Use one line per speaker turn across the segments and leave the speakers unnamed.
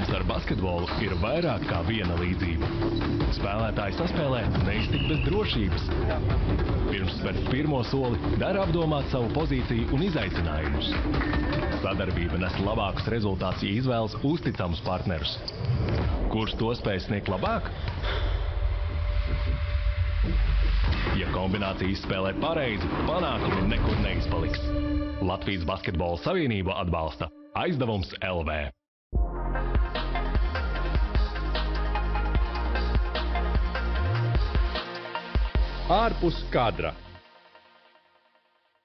Futbols ar basketbolu ir vairāk kā viena līdzība. Spēlētāji saspēlē neiztikt bez drošības. Pirms spērt pirmo soli, dara apdomāt savu pozīciju un izaicinājumus. Sadarbība nes labākus rezultātus, ja izvēlas uzticamus partnerus. Kurš to spēj sniegt labāk? Ja kombinācija izspēlē pareizi, panākumi nekur neizpaliks. Latvijas Basketbola Savienība atbalsta Aizdevums LV.
Ārpus kadra.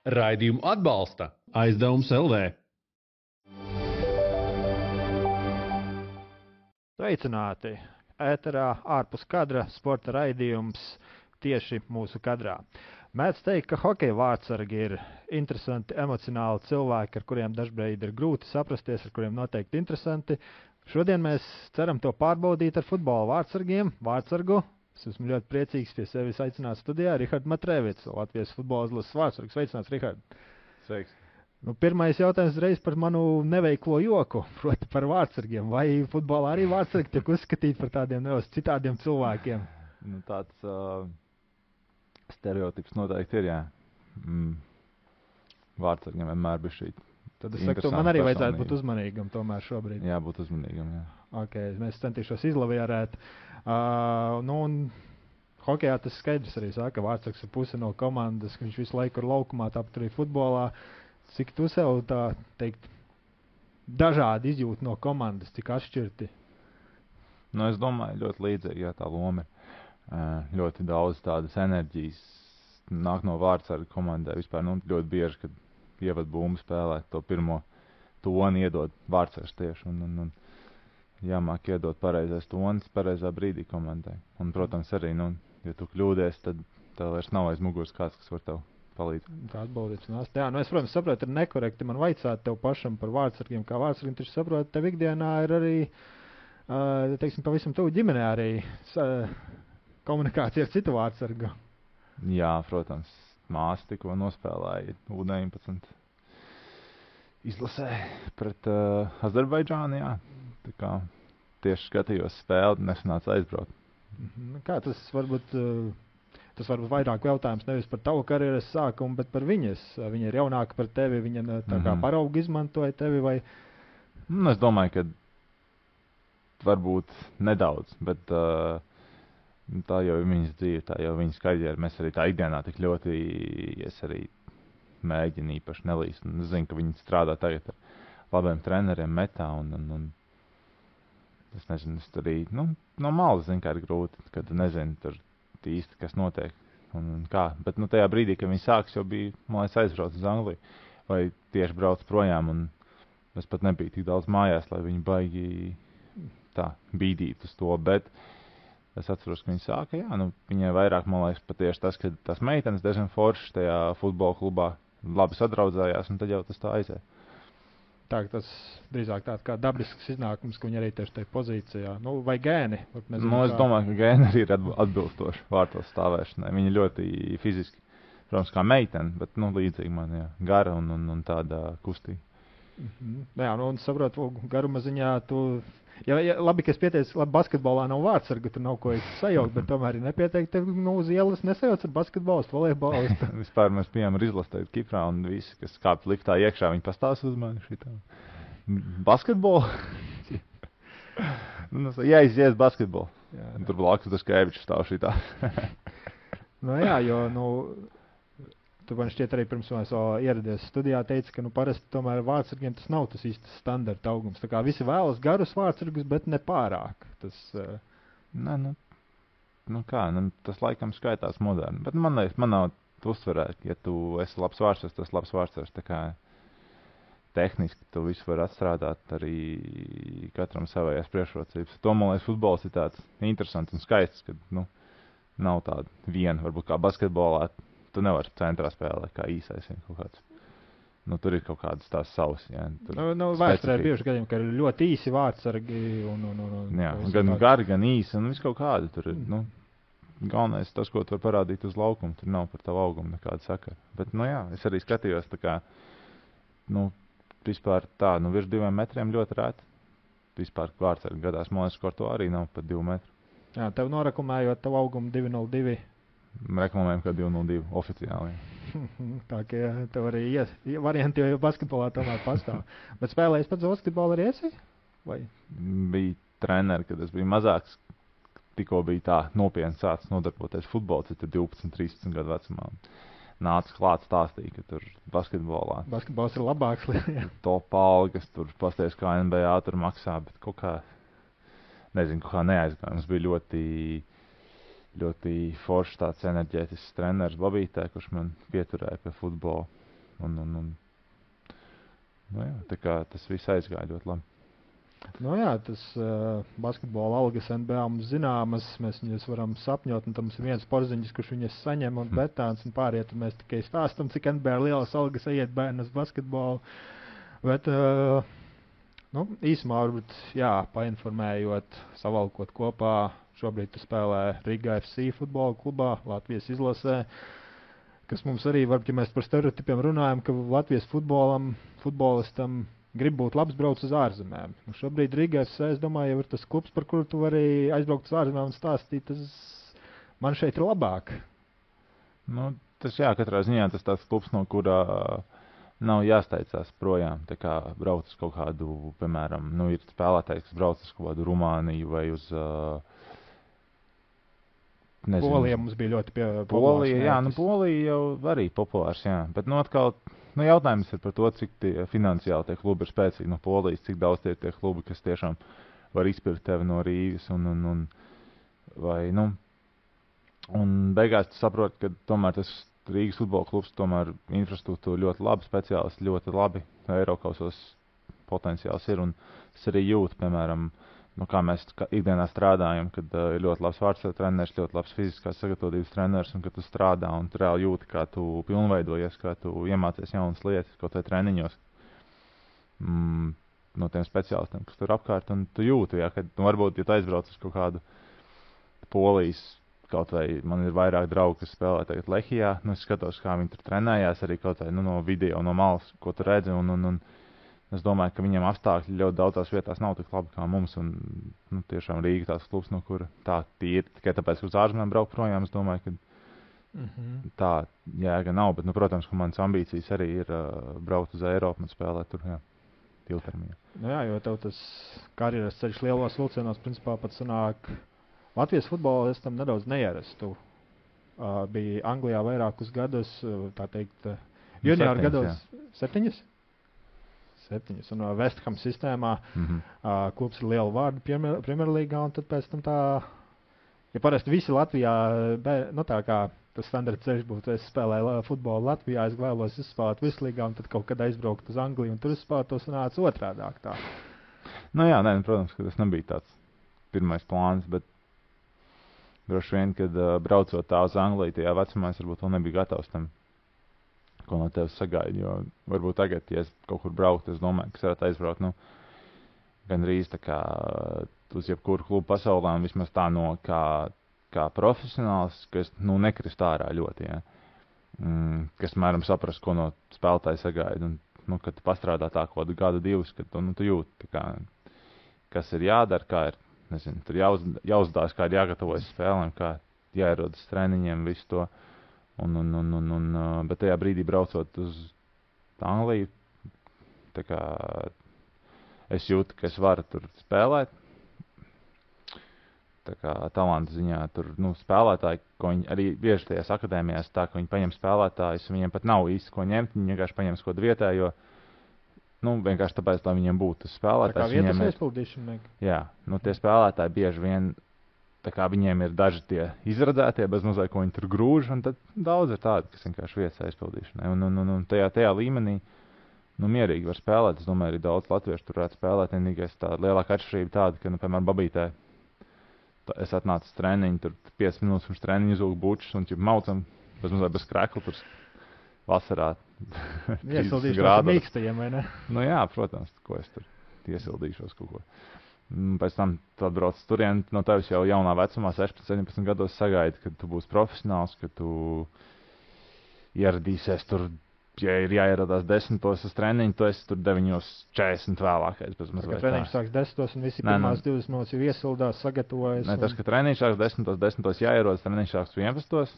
Raidījumu atbalsta Aizdevums LV.
Sveicināti! Ēterā ārpus kadra sporta raidījums tieši mūsu kadrā. Mēdz teikt, ka hokeja vārtsargi ir interesanti, emocionāli cilvēki, ar kuriem dažbrīd ir grūti saprasties, ar kuriem noteikti interesanti. Šodien mēs ceram to pārbaudīt ar futbola vārtsargiem. Vārtsargu es esmu ļoti priecīgs pie sevis aicināt studijā Rihards Matrēvics, Latvijas futbola izlases vārtsargs. Sveicināts, Rihard!
Sveiks!
Pirmais jautājums reiz par manu neveiklo joku, proti par vārtsargiem. Vai futbolā arī vārtsargi tiek uzskatīti par tādiem citādiem cilvēkiem?
Tāds stereotips noteikti ir, jā. Vārtsargiem vienmēr bija šī.
Tad es saku, man arī vajadzētu būt uzmanīgam tomēr šobrīd.
Jā, būt uzmanīgam, jā.
Ok, mēs centīšos izlavierēt. Un hokejā tas skaidrs arī saka, ka vārtsargs ir puse no komandas, ka viņš visu laiku ir laukumā, tāpat arī futbolā. Cik tu sev tā teikt dažādi izjūti no komandas, cik atšķirti?
Es domāju, ļoti līdzīgi, jā, tā loma ir. Ļoti daudz tādas enerģijas nāk no vārtsarga komandai. Vispār ļoti bieži, kad ievad bumbu spēlē, to pirmo toni iedod vārtsargs tieši. Un jāmāk iedot pareizais tonis pareizā brīdī komandai. Un, protams, arī, ja tu kļūdies, tad tev vairs nav aiz muguras kāds, kas var tev palīdz.
Tā atbaldīts nāst. Jā, es, protams, saprotu, ir nekorekti man vaicāt tev pašam par vārtsargiem, kā vārtsargiem, taču saprotu, tev ikdienā ir arī, teiksim, pavisam tuvu ģimenē arī komunikācija ar citu vārtsargu.
Jā, protams, māsa tikko nospēlēja U19 izlasē pret Azerbaidžānu, jā. Tā kā tieši skatījos spēli, nesanāca aizbraukt.
Kā tas varbūt... Tas varbūt vairāk jautājums nevis par tavu karjeras sākumu, bet par viņas. Viņa ir jaunāka par tevi, viņa tā kā paraugu izmantoja tevi vai...
Es domāju, ka varbūt nedaudz, bet tā jau ir viņas dzīve, tā jau viņas karjera. Mēs arī tā ikdienā tik ļoti, es arī mēģinu īpaši nelīst. Es zinu, ka viņi strādā tagad ar labiem treneriem metā un es nezinu, es arī, no malas zinu, kā ir grūti, kad nezinu tur īsti, kas notiek un kā. Bet tajā brīdī, kad viņi sāks, jau bija, man liekas, aizbrauc uz Angliju vai tieši brauc projām un es pat nebiju tik daudz mājās, lai viņi baigi tā bīdīt uz to, bet es atceros, ka viņi sāka, jā, viņai vairāk, man liekas, patieši tas, ka tās meitenes diezgan foršas tajā futbola klubā labi sadraudzējās un tad jau tas tā aizēja.
Tā, tas drīzāk tāds kā dabisks iznākums, ka viņi arī tieši tajā pozīcijā. Vai gēni?
Es domāju, ka gēni arī ir atbilstoši vārtos stāvēšanai. Viņi ļoti fiziski, protams, kā meitene, bet līdzīgi man, jā, gara un tāda kustīga.
Jā, un saprotu, garuma ziņā tu... Ja, labi, ka es pieteicu, labi, basketbolā nav vārtsarga, tur nav ko sajaukt, bet tomēr ir nepieteikti, tev uz ielas nesajauc ar basketbolistu, volejbolistu.
Vispār mēs bijām ar izlasīt Kiprā un visi, kas kāp liftā iekšā, viņi pastāsta uz mani šitā. Basketbolu? Jāizies basketbolu. Jā. Tur blakus Daškēvičs stāv šitā.
Jā, jo, tu man šķiet arī pirms mēs ieradies studijā teici, ka parasti tomēr vārtsargiem tas nav tas īstas standarta augums. Tā kā visi vēlas garus vārtsargus, bet ne pārāk. Tas,
tas laikam skaitās moderni. Bet man nav uztverē, ja tu esi labs vārtsargs, tas labs vārtsargs. Tā kā tehniski tu visu var atstrādāt arī katram savējās priekšrocības. To, man liekas, futbols ir tāds interesants un skaists, kad, nav tāda viena, varbūt kā basketbolā. Tu nevari centrā spēlēt kā īsais kaut kāds. Tur ir kaut kādas tās savas. Jā,
vēsturē ir bieži gadījumi, ka ir ļoti īsi vārtsargi.
Jā, gan gari, gan īsi un viss kaut kādi. Tur ir, galvenais tas, ko tu var parādīt uz laukumu. Tur nav par tavu augumu nekāda sakara. Bet, jā, es arī skatījos tā kā, vispār tā, virs 2 metriem ļoti rēti. vispār Vārtsargi gadās. Man liekas, ka ar to arī nav pat 2 metru.
Jā, tev noreklamējot tavu augumu 202.
Reklamējam, ka 202 oficiāli.
Tā kā tev arī varianti jau basketbolā tomēr pastāv. Bet spēlējis pats basketbolu arī esi? Vai?
Bija treneri, kad es biju mazāks. Tikko bija tā nopietni sācis nodarboties futbolu, tad 12, 13 gadu vecumā. Nāca klāt stāstīja, ka tur basketbolā.
Basketbols ir labāks.
Top algas, tur pasties, kā NBA tur maksā, bet kaut kā, nezinu, kaut kā neaizgāja. Mums bija ļoti foršs tāds enerģētisks treneris Babītē, kurš man pieturēja pie futbola. Nu jā, tā kā tas viss aizgāja ļoti labi.
Nu jā, tas basketbola algas NBA mums zināmas, mēs viņas varam sapņot, un tam ir viens porziņš, kurš viņas saņem, un betāns, un pārējie, tad mēs tikai stāstam, cik NBA lielas algas iet bērnu uz basketbolu. Bet, īsumā varbūt, jā, painformējot, savalkot kopā, šobrīd tu spēlē Riga FC futbola klubā, Latvijas izlasē, kas mums arī, varbūt, ja mēs par stereotipiem runājam, ka Latvijas futbolistam grib būt labs brauc uz ārzemēm. Nu, šobrīd Riga FC, es domāju, jau ir tas klubs, par kuru tu vari aizbraukt uz ārzemēm un stāstīt, tas man šeit ir labāk.
Nu, tas jā, katrā ziņā tas tāds klubs, no kurā nav jāsteidzās projām. Tā kā brauc uz kaut kādu, piemēram, ir spēlētājs, kas brauc uz kaut kādu Rumāniju vai uz... nezinu.
Polija mums bija ļoti populārs.
Polija, jā, Polija jau arī populārs, jā. Bet, atkal... jautājums ir par to, cik finansiāli tie klubi ir spēcīgi no Polijas, cik daudz tie klubi, kas tiešām var izpirkt tevi no Rīgas un beigās tu saproti, ka tomēr tas Rīgas futbola klubs tomēr infrastruktūra ļoti labi, speciālisti ļoti labi, Eirokausos potenciāls ir, un es arī jūtu, piemēram, kā mēs ikdienā strādājam, kad ir ļoti labs vārdsargu treneris, ļoti labs fiziskās sagatavotības treneris, un kad tu strādā un tu reāli jūti, kā tu pilnveidojies, kā tu iemācies jaunas lietas, kaut vai treniņos no tiem speciālistiem, kas tur apkārt, un tu jūti, jā, ka varbūt, ja tu aizbrauc uz kaut kādu Polijas, kaut vai man ir vairāk draugi, kas spēlē tagad Lehijā, es skatos, kā viņi tur trenējās, arī kaut vai no video, no malas, ko tu redzi, un es domāju, ka viņiem apstākļi ļoti daudzās vietās nav tik labi kā mums, un tiešām Rīga tās klubs, no kura tā tīri, tikai tāpēc, ka uz ārzemēm braukt projām, es domāju, ka tā jēga nav, bet, protams, ka manas ambīcijas arī ir braukt uz Eiropu un spēlēt tur, jā, ilgtermiņā.
Nu jā, jo tev tas karjeras ceļš lielos vilcienos, principā pat sanāk, Latvijas futbolistam nedaudz neierastu. Bija Anglijā vairākus gadus, tā teikt, junioru gados, 7? 7. Un West Ham sistēmā klubs ir liela vārda Premjerlīgā, un tad pēc tam tā, ja parasti visi Latvijā, tā kā tas standarta ceļš būtu, es spēlēju futbolu Latvijā, es vēlos izspēlēt Vislīgā, un tad kaut kad aizbraukt uz Angliju, un tur izspēlēt to sanāca otrādāk tā.
Nu jā, protams, ka tas nebija tāds pirmais plāns, bet droši vien, kad braucot tā uz Angliju, tajā vecumā es varbūt vēl nebija gatavs tam, ko no tevis sagaida, jo varbūt tagad, ja es kaut kur brauktu, es domāju, ka es varētu aizbraukt, gandrīz tā kā uz jebkuru klubu pasaulē, un vismaz tā kā profesionāls, ka es, nekrist ārā ļoti, ja. Kas, mēram, saprast, ko no spēlētāja sagaida, un, kad tu pastrādā tā kaut gadu, divus, kad tu jūti, kā, kas ir jādara, kā ir, nezinu, tur jāuzdās, kā ir jāgatavojas spēlēm, kā jāierodas treniņiem, visu to. Bet tajā brīdī braucot uz Angliju, tā kā es jūtu, ka es varu tur spēlēt. Tā kā talanta ziņā tur spēlētāji, ko viņi arī bieži tajās akadēmijās tā, ka viņi paņem spēlētājus, viņiem pat nav īsti ko ņemt, viņi vienkārši paņem kaut kādu vietējo, vienkārši tāpēc, lai viņiem būtu tas spēlētājs.
Tā kā vietas aizpildīšana.
Jā, tie spēlētāji bieži vien, tā kā viņiem ir daži tie izradzētie, bez mazliet, ko viņi tur grūž, un tad daudz ir tādi, kas vienkārši vietas aizpildīšanai. Un tajā līmenī, mierīgi var spēlēt. Es domāju, arī daudz latviešu tur varētu spēlēt. Vienīgais tā lielāka atšķirība tāda, ka, piemēram, Babītē, es atnācu uz treniņu, tur 5 minūtes pirms treniņu uzūku bučus, un maucam, bez krekla, tur vasarā.
Iesildīšos mīkstajiem, vai ne?
Jā, protams, ko es tur iesildīšos kaut ko. Pēc tam tu atbrauc turien, no tevis jau jaunā vecumā, 16, 17 gados sagaida, kad tu būsi profesionāls, ka tu ieradīsies tur ja ir jāieradās 10 uz treniņu, tu esi tur 9:40 vēlākais.
Treniņš sāks 10 un visi pirmās 20 minūtes jau iesildās, sagatavojas.
Tas, ka treniņš sāks 10 jāierodas, treniņš sāks 11.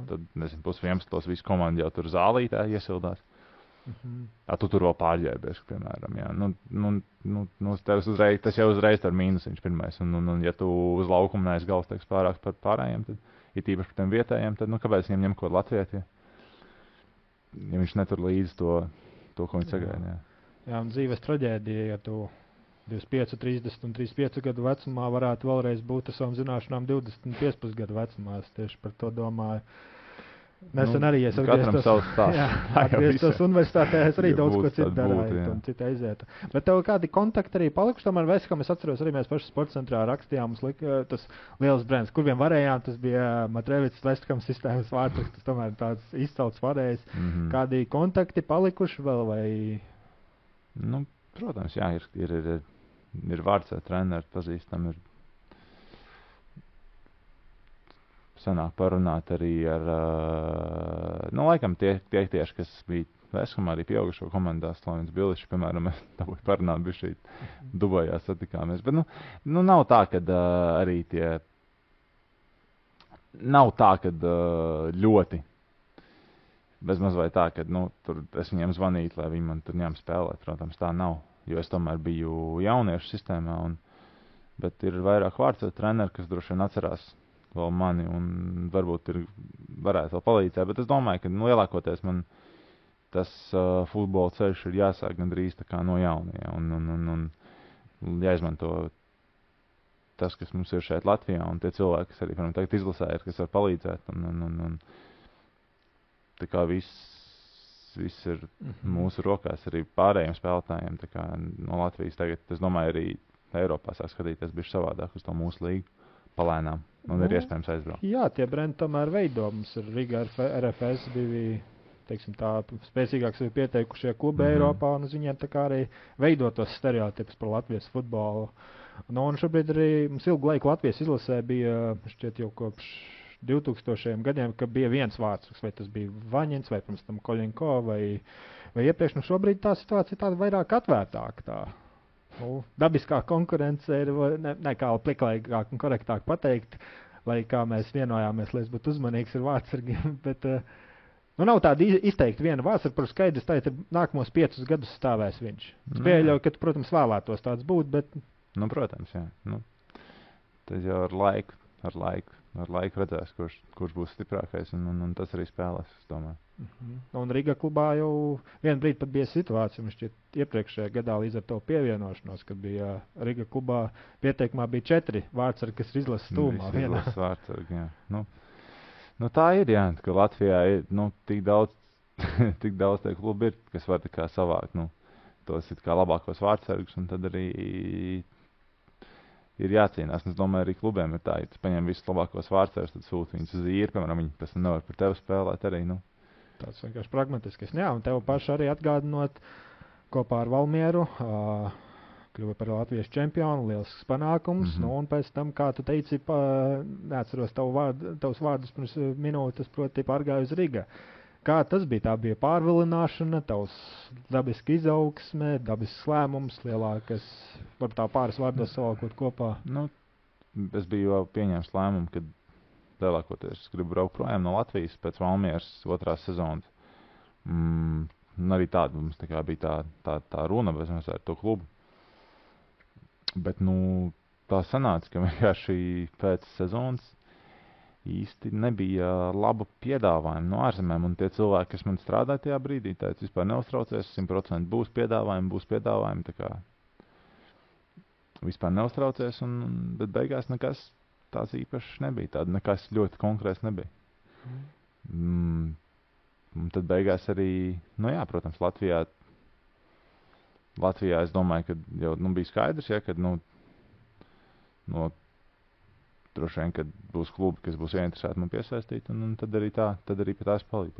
Tad, nezinu, 10:30 visi komandi jau tur zālītē iesildās. Tu tur vēl pārģērbies, piemēram. Jā. Tas jau uzreiz ir mīnusiņš pirmais. Un ja tu uz laukumu neesi galvas pārāk par pārējiem, tad ir tīpaši par tiem vietējiem, tad kāpēc viņiem ņem ko Latvijā? Ja viņš netur līdzi to ko viņi sagaida.
Jā, un dzīves traģēdija, ja tu 25, 30 un 35 gadu vecumā varētu vēlreiz būt ar savām zināšanām 25 gadu vecumā. Es tieši par to domāju. Nesen arī es atgrieztos universitātē, es arī daudz ko citu darīju un citu aiziet. Bet tev kādi kontakti arī palikuši? Tomēr Veskam es atceros arī mēs paši sporta centrā rakstījām mums tas liels brands, kur vien varējām, tas bija Matrevits Veskam sistēmas vārds, tas tomēr tāds izcelts varējis. Kādi kontakti palikuši vēl vai?
Protams, jā, ir vārds ar treneru pazīstam, ir sanāk parunāt arī ar, laikam tie tieši, kas bija Veskamā arī pieaugušo komandā, Slavins Bilišs, piemēram, mēs dabūju parunāt, bija šī Dubajā satikāmies. Bet, nav tā, kad arī tie, nav tā, kad ļoti, bezmaz vai tā, kad, tur es viņiem zvanītu, lai viņi man tur ņem spēlēt, protams, tā nav, jo es tomēr biju jauniešu sistēmā, bet ir vairāk vārds ar treneru, kas droši vien atcerās vēl mani un varbūt varētu vēl palīdzēt, bet es domāju, ka lielākoties man tas futbola ceļš ir jāsāk gandrīz tā kā no jaunie un jāizmanto tas, kas mums ir šeit Latvijā un tie cilvēki, kas arī, piemēram, tagad izlasē ir, kas var palīdzēt un tā kā viss ir mūsu rokās arī pārējiem spēlētājiem, tā kā no Latvijas tagad, es domāju, arī Eiropā sāk skatīties bišķi savādāk uz to mūsu līgu. Palēnām, un ir iespējams aizbraukt.
Jā, tie brendi tomēr veido. Mums ir Riga RFS bija, teiksim tā, spēcīgāk sevi pieteikušie klubi Eiropā, un uz viņiem tā kā arī veido tos stereotipus par Latvijas futbolu. Un šobrīd arī mums ilgu laiku Latvijas izlasē bija, šķiet jau kopš 2000 gadiem, ka bija viens vārds, vai tas bija Vaņins, vai pirms tam Koļinko, vai iepriekš. Šobrīd tā situācija tāda vairāk atvērtāka tā. Dabiskā konkurence ir, kā pliklaigāk un korektāk pateikt, lai kā mēs vienojāmies, lai es būtu uzmanīgs ar vārdsargiem, bet nav tāda izteikti viena vārdsarga, par skaidrs, tā ir nākamos 5 gadus stāvēs viņš. Es pieļauju, ka tu, protams, vēlētos tāds būt, bet...
protams, jā. Tas jau ar laiku redzēs, kurš būs stiprākais, un tas arī spēlēs, es domāju.
Un Riga klubā jau vienu brīdi pat bija situācija, man šķiet iepriekšējā gadā līdz ar to pievienošanos, kad bija Riga klubā pieteikumā bija 4 vārdsargi, kas ir izlases stūmā.
Izlases vārdsargi, jā. Tā ir, jā, ka Latvijā ir, tik daudz tie klubi ir, kas var tā kā savākt, tos it kā labākos vārdsargus, un tad arī ir jācīnās. Es domāju, arī klubiem ir tā, ja tu paņem visus labākos vārdsargus, tad sūti viņus uz īri, piemēram, viņi pēc tam nevar par tevi spēlēt arī,
Tāds vienkārši pragmatiskais. Jā, un tev paši arī atgādinot kopā ar Valmieru, kļuva par Latvijas čempionu, liels panākums, un pēc tam, kā tu teici, neatceros tavus vārdus pirms minūtes, proti pārgāju uz Riga. Kā tas bija? Tā bija pārvilināšana, tavs dabiski izaugsme, dabisks lēmums, lielākas, varbūt tā pāris vārdos savalkot kopā.
Es biju jau pieņēmis lēmumu, kad lielākoties gribu braukt projām no Latvijas pēc Valmieras 2. sezonas. Arī tāda mums tā kā bija tā runa bezmaz ar to klubu. Bet, tā sanāca, ka vienkārši pēc sezonas īsti nebija laba piedāvājuma no ārzemēm, un tie cilvēki, kas man strādāja tajā brīdī, teica, vispār neuztraucies, 100% būs piedāvājumi, tā kā vispār neuztraucies, bet beigās nekas tāds īpašs nebija, tāda nekas ļoti konkrēts nebija. Un tad beigās arī, protams, Latvijā es domāju, ka jau bija skaidrs, ja, kad droši vien, kad būs klubi, kas būs ieinteresēti man piesaistīt, un tad arī pie tās palīdz.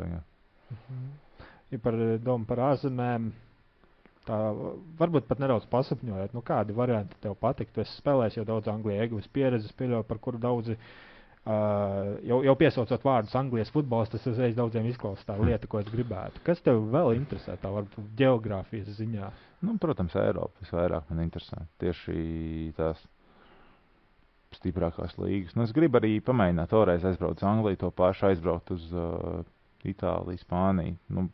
Ja par domu par ārzemēm, tā varbūt pat nedaudz pasapņojot, kādi varianti tev patiktu. Es spēlēju jau daudz Anglijā, ieguvis pieredzes, pieļauju, par kuru daudzi Jau piesaucot vārdus Anglijas futbols, tas uzreiz daudziem izklausās tā lieta, ko es gribētu. Kas tev vēl interesē, tā varbūt geogrāfijas ziņā?
Nu, protams, Eiropa visvairāk man interesē. Tieši tās stiprākās līgas. Nu, es gribu arī pamēģināt toreiz aizbraukt uz Angliju, to pašu aizbraukt uz Itāliju, Spāniju. Nu,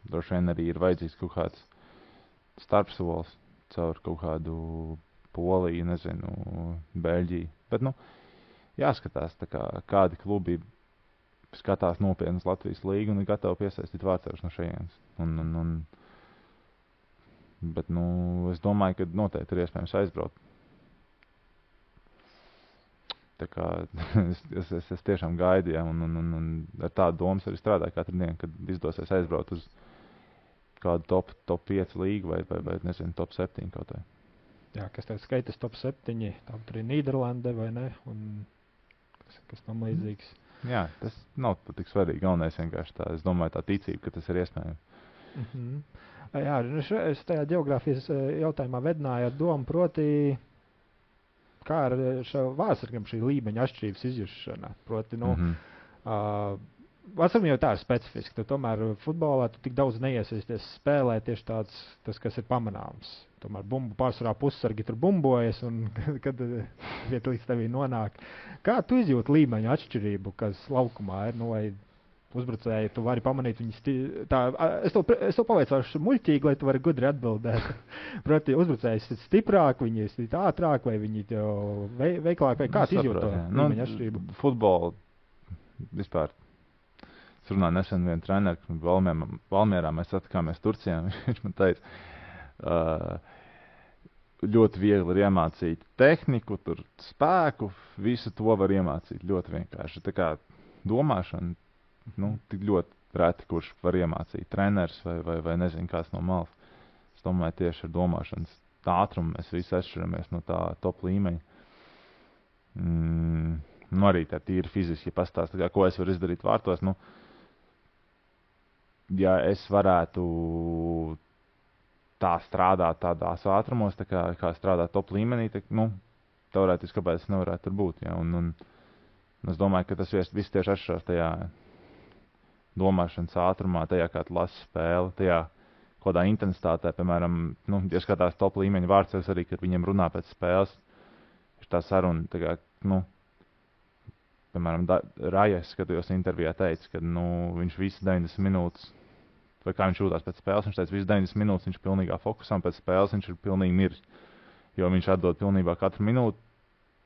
droši vien arī ir vajadzīgs kaut kāds starpsolis caur kaut kādu Poliju, nezinu, Beļģiju. Bet, nu, jāskatās, tā kā kādi klubi skatās nopietnas Latvijas līgu un ir gatavi piesaistīt vārdsargus no šejienes. Bet, nu, es domāju, ka noteikti ir iespējams aizbraukt. Tā kā es tiešām gaidu, ja, un ar tādu domas arī strādāju katru dienu, kad izdosies aizbraukt uz kādu top 5 līgu vai nezinu, top 7 kaut vai.
Jā, kas tev skaitas top 7, tāpat arī Nīderlande vai ne, un kas tam līdzīgs.
Jā, tas nav tik svarīgi, galvenais vienkārši tā, es domāju tā ticība, ka tas ir iespējams.
Jā, es tajā geogrāfijas jautājumā vedināju ar domu, proti, kā ar šo vārdsargam šī līmeņa atšķirības izjušana. Proti, nu, vārdsargam jau tā ir specifiski, tu tomēr futbolā tu tik daudz neiesaisties spēlē tieši tāds, tas, kas ir pamanāms. Tomēr pārsvarā pussargi tur bumbojas, un kad vieta līdz tevī nonāk. Kā tu izjūti līmeņa atšķirību, kas laukumā ir, nu, vai uzbrucēji, tu vari pamanīt viņus es tev pavaicāšu muļķīgi, lai tu vari gudri atbildēt. Proti, uzbrucējs ir stiprāk, viņi ir ātrāk, vai viņi veiklāk, vai kā tu izjūti to līmeņa atšķirību?
Futbolu vispār. Es runāju nesen vienu treneru, Valmierā mēs satikāmies Turcijā, viņš man teica, ļoti viegli ir iemācīt tehniku, tur spēku, visu to var iemācīt ļoti vienkārši. Tā kā domāšana, nu, tik ļoti reti, kurš var iemācīt treneris vai nezinu kāds no malas. Es domāju, tieši ar domāšanas ātrumu mēs visi atšķiramies no tā top līmeņa. Nu, arī tā tīri fiziski, ja pastāst, ko es varu izdarīt vārtos, nu, ja es varētu tā strādāt tādās ātrumos, tā kā strādāt top līmenī, tā, nu, teorētiski, kāpēc es nevarētu tur būt. Ja? Un es domāju, ka tas viss tieši atšķirās tajā domāšanas ātrumā, tajā, kā tu lasi spēli, tajā kādā intensitātē, piemēram, nu, ja skatās top līmeņa vārdsargus arī, kad viņiem runā pēc spēles, ir tā saruna, tā kā, nu, piemēram, Rajas, skatījos intervijā, teica, ka, nu, viņš visu 90 minūtes, vai kā viņš jūtās pēc spēles, viņš teica, visu 90 minūtes viņš ir pilnīgā fokusā, un pēc spēles viņš ir pilnīgi miris, jo viņš atdod pilnībā katru minūti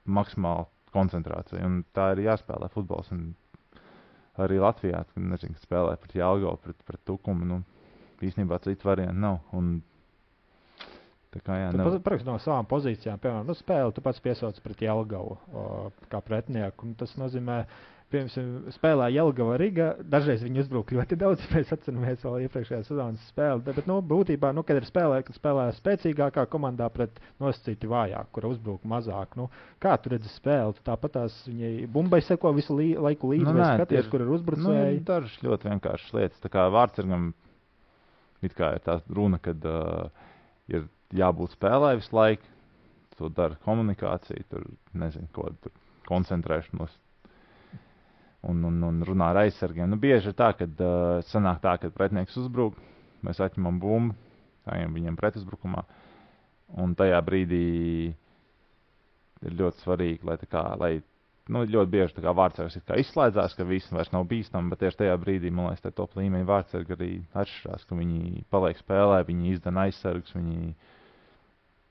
maksimālu koncentrāciju, un tā ir jāspēlē futbols, un arī Latvijā, kad, nezinu, kad spēlē pret Jelgavu, pret Tukumu, nu, īstenībā citu variantu nav, un tā kā, jā,
tu parakst no savām pozīcijām, piemēram, nu, spēli tu pats piesauc pret Jelgavu kā pretnieku, un tas nozīmē, piemēram, spēlē Jelgava Riga, dažreiz viņi uzbruk ļoti daudz, mēs atceramies vēl iepriekšējā sezonas spēli, bet, nu, būtībā, nu, kad spēlē spēcīgākā komandā pret nosacīti vājāk, kura uzbruk mazāk, nu, kā tu redzi spēli, tu tāpat tās viņai bumbai seko visu laiku līdzi, vai skaties, kur ir uzbrucēji?
Nu, dažas ļoti vienkāršas lietas, tā kā vārdsargam, it kā ir tā runa, kad ir jābūt spēlē visu laiku, to dara komunikācija, tur, nezinu, ko, tur koncentrēšanos, un runā ar aizsargiem. Nu, bieži ir tā, kad sanāk tā, kad pretinieks uzbruk, mēs atņemam bumbu, ejam viņiem pretuzbrukumā, un tajā brīdī ir ļoti svarīgi, lai nu, ļoti bieži tā kā vārdsargs izslēdzās, ka viss vairs nav bīstami, bet tieši tajā brīdī, man liekas, tā top līmeņa vārdsargi arī atšķirās, ka viņi paliek spēlē, viņi izdana aizsargus, viņi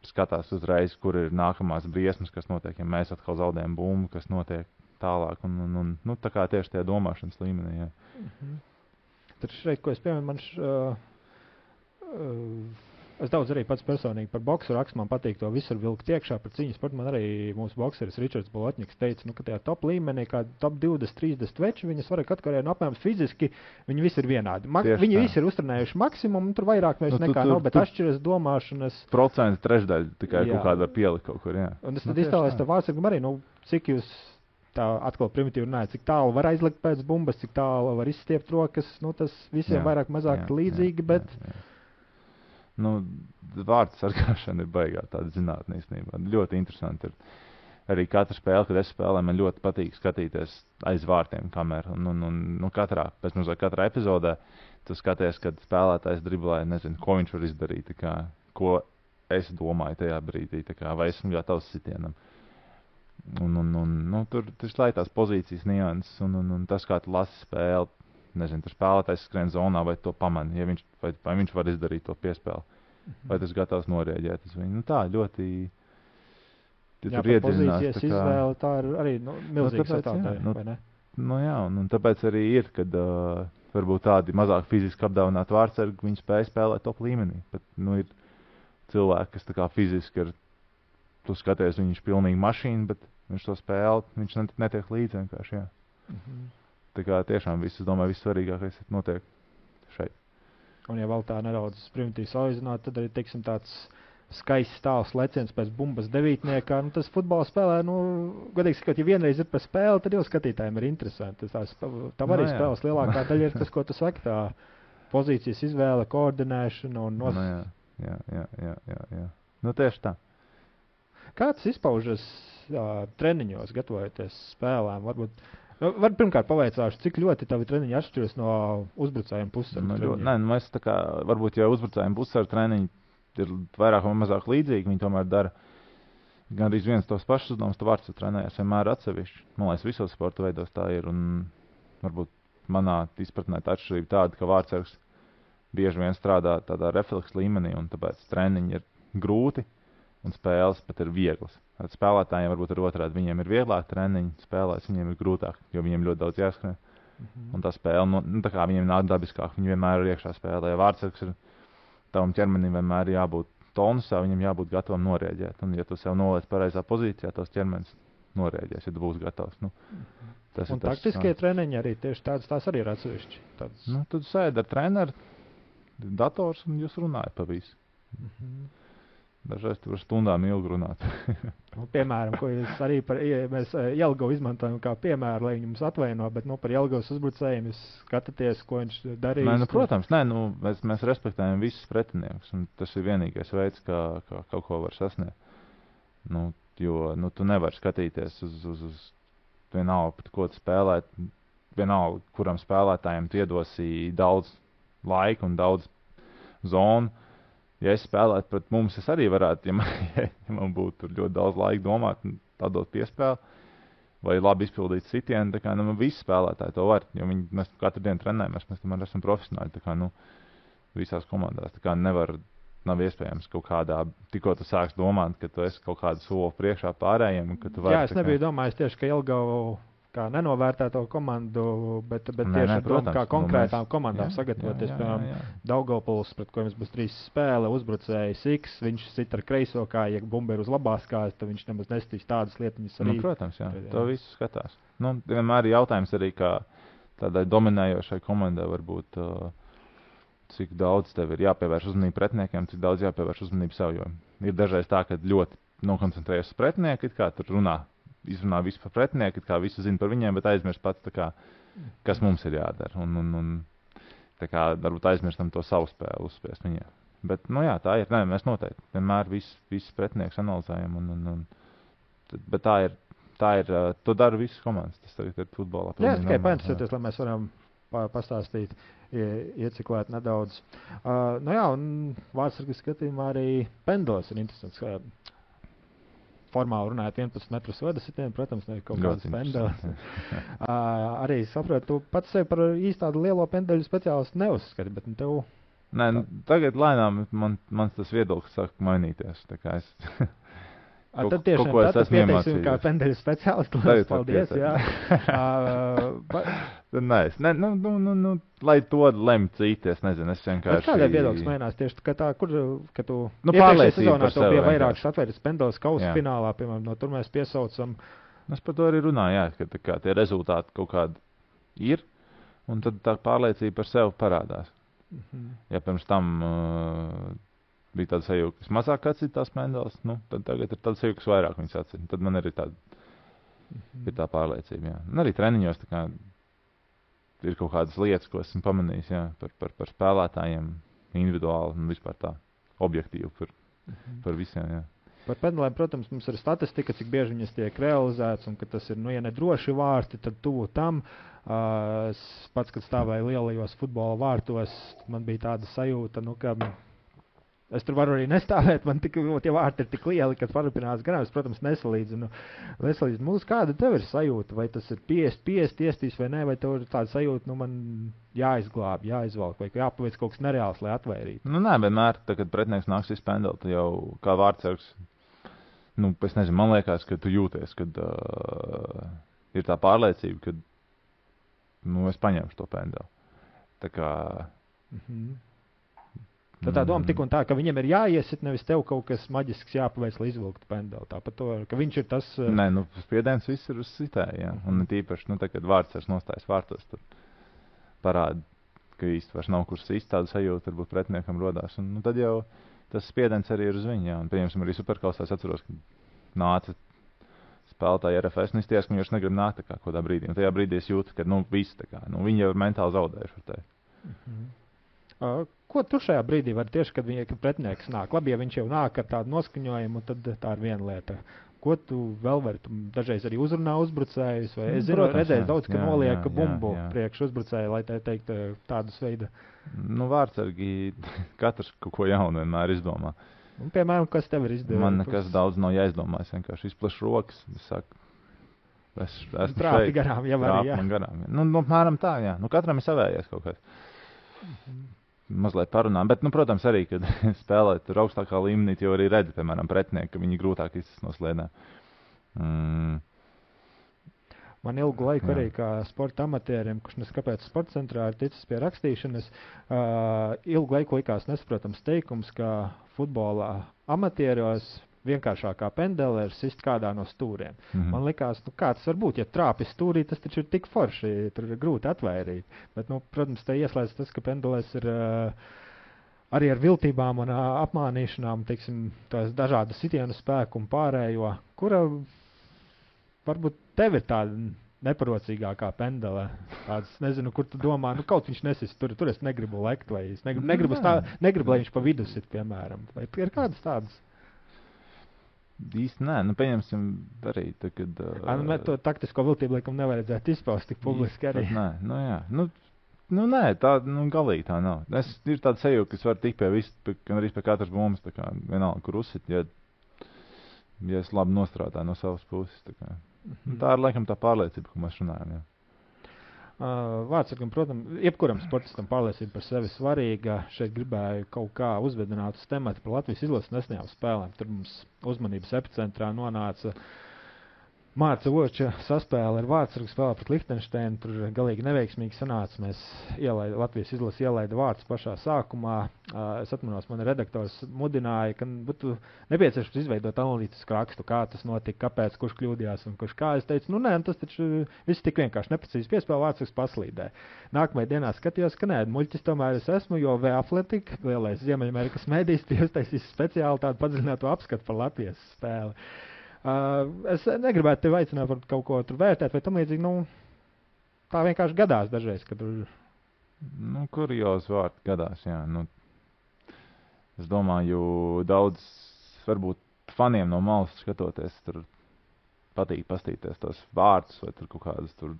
skatās uzreiz, kur ir nākamās briesmas, kas notiek, ja mēs atkal zaudējam bumbu, kas notiek tālāk, un nu, tā kā tieši tajā domāšanas līmenī, jā.
Tad šeit, ko es piemēram, es daudz arī pats personīgi par boksu rakstu, man patīk to visur vilkt iekšā par cīņas sportu, man arī mūsu bokseris Ričards Bolotņiks teica, nu, ka tajā top līmenī, kā top 20-30 veči, viņas var atkarēt no apmēram fiziski, viņi visi ir vienādi. Viņi visi ir uztrenējuši maksimumu, tur vairāk vairs nekā nav, bet atšķiras domāšanas.
Procentu trešdaļu tikai kaut kādā pielikt kaut kur, jā.
Un es tad iztēlēs tā vārdsargam arī, nu, cik jūs tā atkal primitīvi runāja, cik tālu var aizlikt pēc bumbas, cik tālu var izstiept rokas, nu, tas visiem vairāk mazāk līdzīgi, bet...
Nu, vārdu sargāšana ir baigā tāda zinātne īstenībā. Ļoti interesanti ir. arī katra spēle, kad es spēlēju, man ļoti patīk skatīties aiz vārtiem kameru. Un katrā epizodē tu skaties, kad spēlētājs driblē, nezinu, ko viņš var izdarīt, tā kā, ko es domāju tajā brīdī, tā kā, vai esmu gatavs sitienam. Tur slēj tās pozīcijas nianses, un tas, kā tu lasi spēli, nezinu, tur spēlētājs skrien zonā, vai to pamani, ja vai viņš var izdarīt to piespēli, vai tas gatavs norēģēt uz viņu. Tā ļoti...
Jā, par pozīcijas izvēle, tā ir arī milzīga sastāvdaļa, vai ne?
Jā, un tāpēc arī ir, kad varbūt tādi mazāk fiziski apdāvināti vārtsargi, viņi spēj spēlēt top līmenī. Bet, ir cilvēki, kas tā kā fiziski ir, tu skaties, viņš ir pilnīgi mašīna, bet viņš to spēli, viņš netiek līdzi vienkārši, jā. Tā kā tiešām viss, es domāju, viss svarīgākais notiek šeit.
Un ja vēl tā nedaudz primitīvi salīdzināt, tad arī, teiksim, tāds skaists stāvs leciens pēc bumbas devītniekā. Tas futbola spēlē, godīgi sakot, ja vienreiz ir pa spēli, tad jau skatītājiem ir interesanti. Tā arī spēles lielākā daļa ir tas, ko tu saki, tā pozīcijas izvēle, koordinēšana un
Jā. Tieši tā.
Kā tas izpaužas treniņos, gatavojoties spēlēm? Varbūt pirmkārt pavaicāšu, cik ļoti tavi treniņi atšķiras no uzbrucējiem pussaru treniņiem?
Mēs tā kā, varbūt jau uzbrucējiem pussaru treniņi ir vairāk vai mazāk līdzīgi, viņi tomēr dara gan arī viens tos pašus uzdevumus, tu vārds trenējies vienmēr atsevišķi. Man liekas, visos sporta veidos tā ir, un varbūt manā izpratnē tā atšķirība tāda, ka vārdsargs bieži vien strādā tādā refleksa līmenī, un tāpēc treniņi ir grūti, un spēles pat ir vieglas. Spēlētājiem varbūt ir otrādi, viņiem ir vieglāk treniņi, spēlēs viņiem ir grūtāk, jo viņiem ļoti daudz jāskrien. Un tā spēle, tā kā viņiem nāk dabiskāk, viņi vienmēr ir iekšā spēlē. Ja vārdsargs ir tavam ķermenim vienmēr jābūt tonusā, viņam jābūt gatavam norēģēt. Un, ja tu sev noliec pareizā pozīcijā, tos ķermenis norēģēs, ja tu būsi gatavs.
Un taktiskie treniņi arī tieši tās arī ir atsevišķi.
Tad sēdi ar treneru, dators, un jūs runājat pa visu. Dažreiz tur var stundām ilgi runāt.
Piemēram, ko jūs arī mēs Jelgavu izmantojam kā piemēru, lai viņi mums atvaino, bet par Jelgavas uzbrucējiem jūs skatāties, ko viņš darīs.
Protams, mēs respektējam visus pretiniekus, un tas ir vienīgais veids, kā kaut ko var sasniegt. Jo tu nevari skatīties uz vienalga, ko tu spēlē, vienalga, kuram spēlētājiem tu iedosi daudz laika un daudz zonu. Ja es spēlētu pret mums, es arī varētu, ja man būtu ļoti daudz laika domāt, tādot piespēli, vai labi izpildīt sitienu, tā kā, visi spēlētāji to var, jo mēs katru dienu trenējamies, mēs tomēr esam profesionāļi, tā kā, visās komandās, tā kā nav iespējams kaut kādā, tikko tu sāks domāt, ka tu esi kaut kādu soli priekšā pārējiem, ka tu vari.
Jā, es nebiju domājis tieši, ka Jelgavu kā nenovērtēto komandu, bet tieši ar domu, kā konkrētām komandām sagatavoties. Piemēram, Daugavpils, pret ko mums būs 3 spēle, uzbrucējs X, viņš sit ar kreiso kāju, ja bumba ir uz labās kājas, tad viņš nemaz nestīs tādas lietiņas arī.
Protams, jā, to visu skatās. Vienmēr ir jautājums arī, kā tādai dominējošai komandai varbūt, cik daudz tev ir jāpievērš uzmanību pretiniekiem, cik daudz jāpievērš uzmanību sev, jo ir dažreiz tā, ka ļoti nokoncentrējas uz pretinieku, kā tur izrunā visu par pretinieku, kā visu zina par viņiem, bet aizmirst pats, kas mums ir jādara. Un varbūt aizmirstam to savu spēli uzspiest viņiem. Bet, tā ir. Mēs noteikti vienmēr visus pretinieks analizējam. Bet tā ir, to dara visas komandas. Tas tagad ir futbolā.
Jā, tikai painteresēties, lai mēs varam pastāstīt, ieciklēt nedaudz. Un vārdsargas skatījumā arī pendlis ir interesants. Formāli runājot 11 metrus vadasitienu, protams, ne kaut kādas pendeles. Arī saprotu, tu pats sevi par īsti tādu lielo pendeļu speciālistu neuzskati, bet tev...
Tagad lēnām mans tas viedoklis sāk mainīties. Tā kā es...
Tad tiešām tad pieteiksim kā pendeļu speciālistu. Paldies, jā.
Lai to lem citi, es nezinu, es vienkārši...
Kādai viedoklis mainās tieši, ka tu iepriekšējā sezonā tev bija vairākas atvērtas pendeles kausa finālā, piemēram, tur mēs piesaucam.
Es par to arī runāju, jā, ka tie rezultāti kaut kādi ir, un tad tā pārliecība par sevi parādās. Ja pirms tam bija tāda sajūta, kas mazāk atcīt tās pendeles, tad tagad ir tāda sajūta, kas vairāk viņas atcīt. Tad man arī ir tā pārliecība, jā. Un arī treniņos tā kā ir kaut kādas lietas, ko esmu pamanījis, jā, par spēlētājiem individuāli un vispār tā objektīvi par visiem, jā.
Par pendelēm, protams, mums ir statistika, cik bieži viņas tiek realizētas, un ka tas ir, ja nedroši vārti, tad tuvu tam. Pats, kad stāvēju lielajos futbola vārtos, man bija tāda sajūta, ka es tur varu arī nestāvēt, man tie vārti ir tik lieli, ka parupinās garām. Es, protams, nesalīdzinu mūsu. Kāda tev ir sajūta? Vai tas ir 50 iespīs vai nē, vai tev ir tāda sajūta, man jāizglāb, jāizvalk, vai jāpaveic kaut kas nereāls, lai atvairītu?
Nē, vienmēr, kad pretinieks nāks izpendelt, tu jau kā vārdsargs, es nezinu, man liekas, ka tu jūties, kad ir tā pārliecība, ka es paņemšu to pendeli. Tā kā...
Tad tā doma tik un tā, ka viņam ir jāiesit, nevis tev kaut kas maģisks jāpaveic, lai izvilktu pendeli. Tāpat to, ka viņš ir tas...
Nē, spiediens viss ir uz sitēju, jā. Un tīpaši, kad vārdsargs nostājas vārtos, tad parāda, ka īsti vairs nav kur sist, tāda sajūta varbūt pretiniekam rodās. Un tad jau tas spiediens arī ir uz viņu, jā. Un, pieņemsim, arī Superkausā es atceros, ka nāca spēlētāji RFS, un izties, ka viņš negrib nākt tā kā kādā brīdī. Un tajā brīdī es jūtu, ka, viss tā kā, viņi jau ir mentāli zaudējuši ar tevi.
Ko tu šajā brīdī vari tieši, kad pretinieks nāk? Labi, ja viņš jau nāk ar tādu noskaņojumu, tad tā ir viena lieta. Ko tu vēl vari? Tu dažreiz arī uzrunā uzbrucējus, vai es zinu, redzēju daudz, ka noliek bumbu priekš uzbrucēju, lai tā teikt tādus veidu.
Vārdsargi katrs kaut ko jaunu vienmēr izdomā.
Un, piemēram, kas tev ir izdevies?
Man nekas daudz nav jāizdomā, es vienkārši izplašu rokas, es saku, es esmu
trāpi
šeit.
Garām, jau arī, jā.
Man garām, jā. Apmēram tā, jā. Katram ir savējais kaut kas. Mazliet parunām, bet, protams, arī, kad spēlēt tur augstākā līmenī, jau arī redzi, piemēram, pretinieki, ka viņi grūtāk izsas no slēdēm.
Man ilgu laiku arī kā sporta amatieriem, kurš neskapēc sporta centrā ir ticis pie rakstīšanas, ilgu laiku likās nesaprotams teikums, ka futbolā amatieros vienkāršākā pendele ir sist kādā no stūriem. Man likās, kā tas var būt, ja trāpi stūrī, tas taču ir tik forši, tur ir grūti atvairīt. Bet, protams, te ieslēdz tas, ka pendelēs ir arī ar viltībām un apmānīšanām, teiksim, tās dažādu sitienu spēku un pārējo, kura varbūt tev ir tāda neparocīgākā pendele. Tāds, nezinu, kur tu domā, kaut viņš nesist, tur es negribu lekt, vai es negribu, lai viņš pa vidu sit, piemēram. Vai ir kādas tādas?
Īsti nē, pieņemsim arī, kad...
To taktisko viltību, laikam, nevajadzētu izpaust tik publiski arī.
Nē, jā. Nē, tā, galīgi tā nav. Ir tāda sajūta, ka es varu tikt gan arī pie katras bumbas, tā kā vienalga, kur uzsit, ja es labi nostrādāju no savas puses, tā kā. Tā ir, laikam, tā pārliecība, ko mēs runājam, jā.
Vārdsargam, protams, jebkuram sportistam pārliecība par sevi svarīga. Šeit gribēju kaut kā uzvedināt uz tematu par Latvijas izlases nesenajām spēlēm. Tur mums uzmanības epicentrā nonāca Mārca Voča saspēle ar vārdsargu spēlē pret Lihtenšteinu. Tur galīgi neveiksmīgi sanāca. Latvijas izlase ielaida vārdus pašā sākumā. Es atmanos, man redaktors mudināja, ka būtu nepieciešams izveidot analītisku rakstu, kā tas notika, kāpēc, kurš kļūdījās un kurš kā. Es teicu, tas taču viss tik vienkārši neprecīzi piespēlē, vārdsargs paslīdē. Nākamajā dienā skatījos, ka nē, muļķis tomēr es esmu, jo The Athletic, lielais Ziemeļamerikas mēdījis, uztaisīs speciāli tādu padziļinātu apskatu par Latvijas spēli. Es negribētu tevi aicināt par kaut ko tur vērtēt, vai tam līdzīgi, tā vienkārši gadās dažreiz, kad tur...
Kuriozi vārdi gadās, jā. Es domāju, daudz, varbūt faniem no malas skatoties, tur patīk pastīties tos vārdus, vai tur kaut kādas tur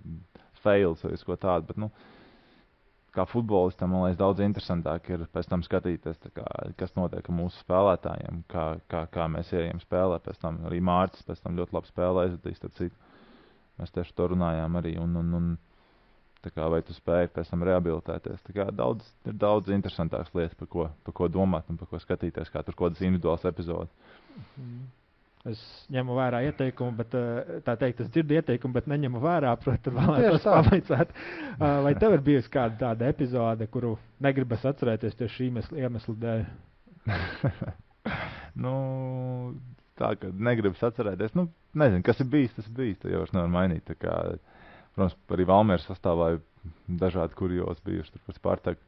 fails vai ko tādu, bet, kā futbolistam, man liekas, daudz interesantāk ir pēc tam skatīties, kas notiek ar mūsu spēlētājiem, kā mēs ejam spēlē, pēc tam arī Mārcis pēc tam ļoti labi spēlē, mēs tieši to runājām arī, un vai tu spēji pēc tam rehabilitēties. Ir daudz interesantākas lietas, par ko domāt un par ko skatīties, kā tur kādas individuālas epizodes.
Es ņemu vērā ieteikumu, bet tā teikt, es dzirdu ieteikumu, bet neņemu vērā, protams, vēlētos pavaicāt. Vai tev ir bijusi kāda tāda epizode, kuru negribas atcerēties tieši šī iemesla dēļ?
Tā, ka negribas atcerēties. Nezinu, kas ir bijis, tas ir bijis, tā jau vairs nevar mainīt. Protams, arī Valmieras sastāvā dažādi kuriozi bijuši, tur par Spartaku.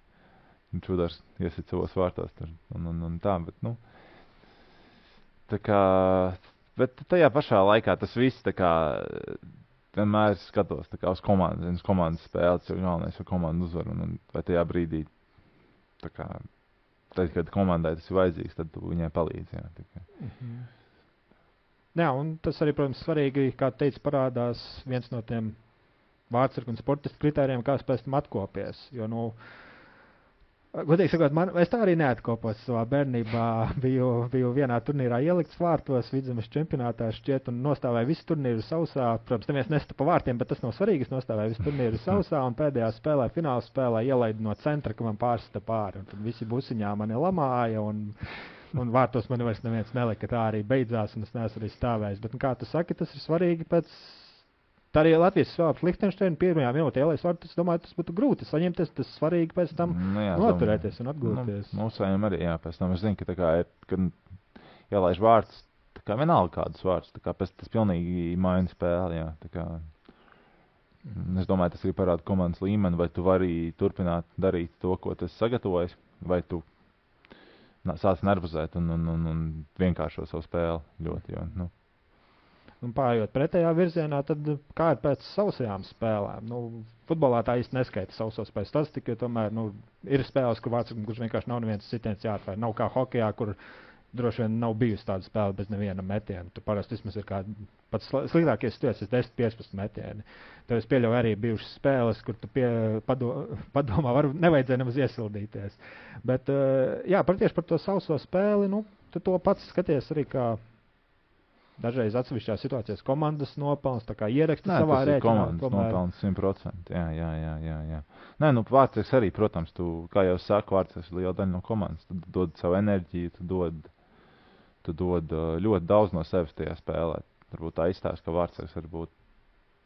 Čudars iesit savos vārtos tur un tā, bet, bet tajā pašā laikā tas viss vienmēr skatos uz komandas spēli, jo galvenais ir komandu uzvaru, un vai tajā brīdī, tad, kad komandai tas ir vajadzīgs, tad tu viņai palīdzi. Jā,
Jā, un tas arī, protams, svarīgi, kā teica, parādās viens no tiem vārdsargu un sportistu kritērijiem, kā pēc tam atkopies. Jo, godīgi sakot, es tā arī neatkopos savā bērnībā. Biju vienā turnīrā ielikts vārtos, Vidzemes čempionātā šķiet, un nostāvēju visu turnīru sausā. Protams, neviens nesta pa vārtiem, bet tas nav svarīgi. Es nostāvēju visu turnīru sausā, un pēdējā spēlē, fināla spēlē, ielaidu no centra, ka man pārsita pāri. Un tad visi busiņā mani lamāja, un vārtos man vairs neviens nelika. Tā arī beidzās, un es neesmu arī stāvējis. Bet, kā tu saki, tas ir svarīgi pēc. Tā arī Latvijas spēlē Lihtenšteina pirmajā minūtē ielaists vārtus. Es domāju, tas būtu grūti saņemties, tas svarīgi pēc tam noturēties un atgūties.
Mums vajag arī, jā, pēc tam es zinu, ka tā kā ir, kad ielaiž vārtus, tā kā vienalga kādus vārtus, tā kā pēc tas pilnīgi maina spēli, jā, tā kā. Es domāju, tas arī parāda komandas līmeni, vai tu vari turpināt darīt to, ko tu esi sagatavojis, vai tu sāc nervozēt un vienkāršo savu spēli ļoti, jo,
Un pārējot pretējā virzienā, tad kā ir pēc sausajām spēlēm? Futbolā tā īsti neskaita sausos pēc statistiku, jo tomēr ir spēles, kur vārdsargam, kurš vienkārši nav neviens sitiens jāatvēr. Nav kā hokejā, kur droši vien nav bijusi tāda spēle bez neviena metiena. Tur parasti vismaz ir pats sliktākie situācijas 10-15 metieni. Tev es pieļauju arī bijušas spēles, kur tu padomā, nevajadzēja nemaz iesildīties. Bet, jā, tieši par to sauso spēli, tu to pats skaties arī kā dažreiz atsevišķās situācijās komandas nopelns, tā kā ieraksti savā rēķinā.
Komandas nopelns 100%, jā. Nē, vārdsargs arī, protams, kā jau saku, vārdsargs ir liela daļa no komandas. Tu dod savu enerģiju, tu dod ļoti daudz no sevis tajā spēlē. Varbūt tā izstāst, ka vārdsargs varbūt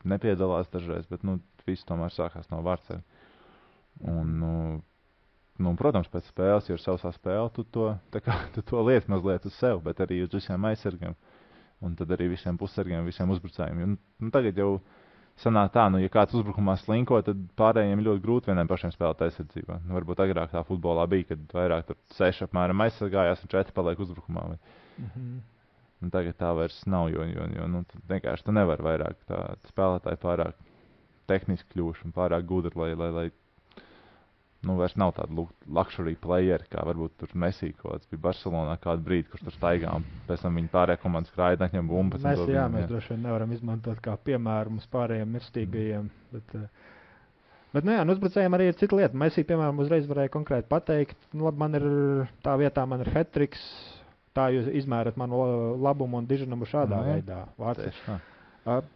nepiedalās dažreiz, bet, viss tomēr sākās no vārdsarga. Un, protams, pēc spēles, ja ir sausā spēle, tu to lieti mazliet uz sevi, bet arī uz visiem aizsargiem. Un tad arī visiem pussargiem, visiem uzbrucējiem. Tagad jau sanāk tā, ja kāds uzbrukumā slinko, tad pārējiem ir ļoti grūti vieniem pašiem spēlēt aizsardzībā. Varbūt agrāk tā futbolā bija, kad vairāk tur 6 apmēram aizsargājās un 4 paliek uzbrukumā. Tagad tā vairs nav, jo vienkārši tu nevari vairāk tā spēlētāji pārāk tehniski kļuvuši un pārāk gudri, lai vairs nav tāda luxury playeri, kā varbūt tur Messi kaut bija Barcelonā kādu brīdi, kurš tur staigā, un pēc tam viņa pārējā komandas krāja, atņem bumbu.
Messi, mēs droši vien nevaram izmantot kā piemēru mums pārējiem mirstīgajiem, bet uzbrucējiem arī ir cita lieta. Messi, piemēram, uzreiz varēja konkrēti pateikt, labi, tā vietā man ir hat-triks, tā jūs izmērat manu labumu un diženumu šādā veidā.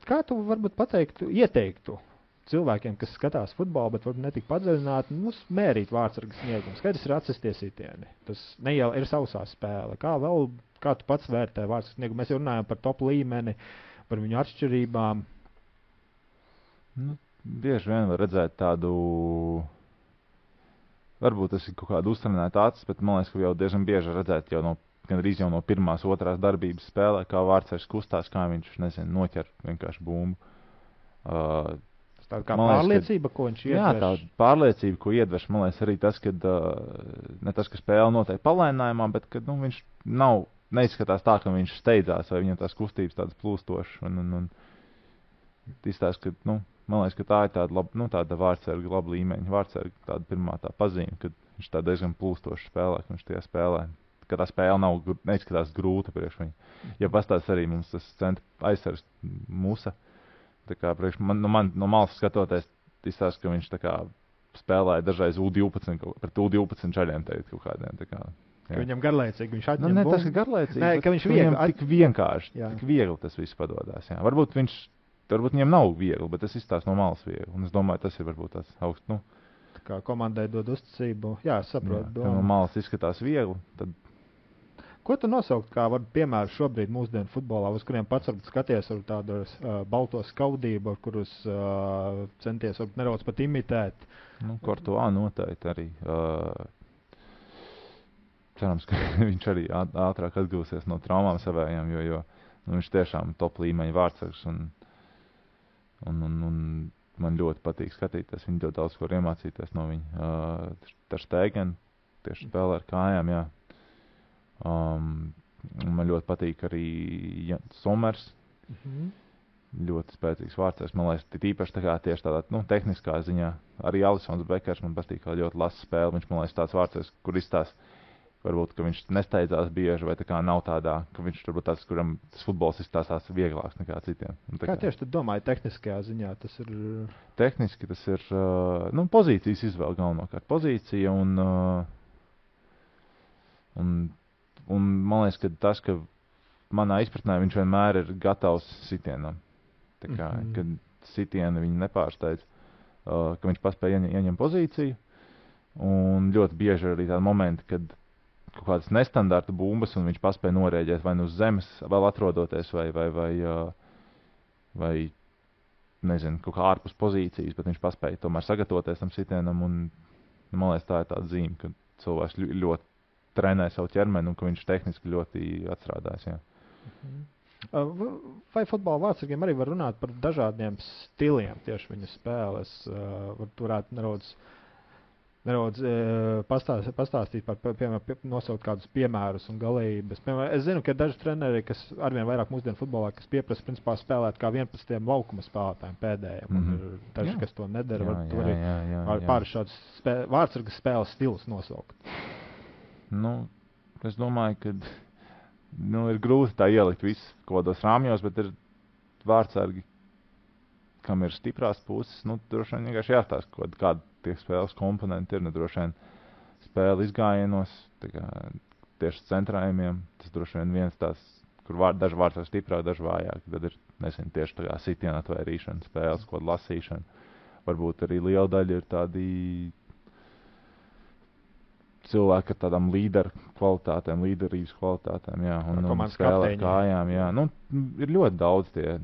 Kā tu varbūt ieteiktu cilvēkiem, kas skatās futbolu, bet varbūt netik padziļināti, mērīt vārdsarga sniegumu. Skaidrs ir atsisties sitieni. Tas ir sausā spēle. Kā tu pats vērtē vārdsarga sniegumu? Mēs jau runājam par top līmeni, par viņu atšķirībām.
Bieži vien var redzēt tādu, varbūt tas ir kaut kāda uztrenēta acis, bet man liekas, ka jau diezgan bieži redzēt gandrīz jau no pirmās, otrās darbības spēlē, kā vārdsargs kustās, kā viņš, noķer vienkārši bumbu.
Tā kā pārliecība, ko viņš iedveš.
Jā, tā pārliecība, ko iedveš, man liekas, arī tas, ka ne tas, ka spēle notiek palēninājumā, bet ka viņš neizskatās tā, ka viņš steidzās, vai viņam tās kustības tādas plūstošas. Un izstāst, ka, man liekas, ka tā ir tāda vārdsarga laba līmeņa. Vārdsarga tāda pirmā tā pazīme, kad viņš tā diezgan plūstoši spēlē, ka viņš tajā spēlē. Ka tā spēle neizskatās grūta priekš viņu. Ja pastāst arī mums tas centra aizsargs Musa. Tā kā man no malas skatoties, izstāst, ka viņš tā kā spēlēja dažreiz U12, pret U12 čaļiem teikt kaut kādiem. Tā kā,
ka viņam garlaicīgi, viņš atņem bumbu.
Tas ir garlaicīgi.
Nē, ka viņš
tik vienkārši, tik viegli tas viss padodās. Jā. Varbūt viņam nav viegli, bet tas izstāst no malas viegli. Un es domāju, tas ir varbūt tāds augsts.
Tā kā komandai dod uzticību. Jā, saprotu.
No malas izskatās viegli, tad.
Ko tu nosaukt kā piemēru šobrīd mūsdienu futbolā, uz kuriem pats varbūt skaties ar tādu balto skaudību, ar kurus centies varbūt nedaudz pat imitēt?
Kortuvā noteikti arī. Cerams, ka viņš arī ātrāk atgūsies no traumām savējām, jo viņš tiešām top līmeņa vārdsargs un man ļoti patīk skatīties, viņi ļoti daudz ko iemācīties no viņa. Ter Stegen tieši spēlē ar kājām, jā. Man ļoti patīk arī Somers. Ļoti spēcīgs vārdsargs. Man liekas, tīpaši tieši tādā tehniskā ziņā. Arī Alisons Bekers man patīk, kā ļoti lasa spēli. Viņš man liekas tāds vārdsargs, kur izstās varbūt, ka viņš nesteidzās bieži, vai tā kā nav tādā, ka viņš varbūt tāds, kuram tas futbols izstāstās vieglāks nekā citiem.
Kā tieši tu domāji tehniskajā ziņā? Tas ir...
Tehniski tas ir, pozīcijas izvēle galvenokārt. Pozīcija un man liekas, ka tas, ka manā izpratnē viņš vienmēr ir gatavs sitienam. Tā kā, kad sitieni viņu nepārsteidz, ka viņš paspēja ieņemt pozīciju. Un ļoti bieži arī tādi momenti, kad kaut kādas nestandarta bumbas, un viņš paspēja norēģēt vai nu uz zemes, vēl atrodoties, vai nezinu, kaut kā ārpus pozīcijas, bet viņš paspēja tomēr sagatavoties tam sitienam, un man liekas, tā ir tāda zīme, ka cilvēks ļoti trenē savu ķermeni, un ka viņš tehniski ļoti atstrādājas, jā.
Vai futbola vārdsargiem arī var runāt par dažādiem stiliem tieši viņa spēles? Varētu nedaudz pastāstīt par, piemēram, nosaukt kādus piemērus un galības. Piemēram, es zinu, ka ir daži treneri, kas arvien vairāk mūsdienu futbolā, kas pieprasa, principā, spēlēt kā 11 laukuma spēlētājiem pēdējiem. Un ir daži, kas to nedara, var pāris šādus vārdsargas spēles stilus nosaukt.
Es domāju, ka ir grūti tā ielikt visu kaut kādos rāmjos, bet ir vārdsargi, kam ir stiprās puses, droši vien vienkārši jāstāsta, kāda tie spēles komponenti ir, droši vien spēle izgājienos, tieši centrējumiem, tas droši vien viens tās, kur daži vārdsargi stiprāk, daži vājāk, tad ir, nezinu, tieši tā kā sitiena atvērīšana, spēles, kaut lasīšana, varbūt arī liela daļa ir tādi cilvēki ar tādām līderu kvalitātēm, līderības kvalitātēm, jā, un spēlē kājām, jā. Ir ļoti daudz tie,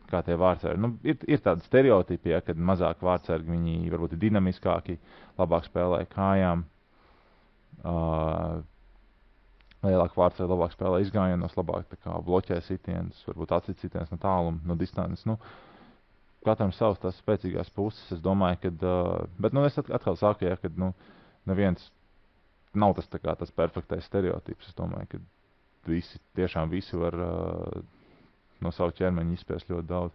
kā tie vārdsargi. Ir tādi stereotipi, ja, kad mazāk vārdsargi, viņi varbūt ir dinamiskāki, labāk spēlē kājām, lielāk vārdsargi, labāk spēlē izgājienos, labāk bloķē sitienus, varbūt atcīt sitienus no tāluma, no distances. Katram savas tās spēcīgās puses, es domāju, kad, bet es atkal saku, ja, kad, neviens nav tas tas perfektais stereotips. Es domāju, ka visi var no savu ķermeņa izspiest ļoti daudz.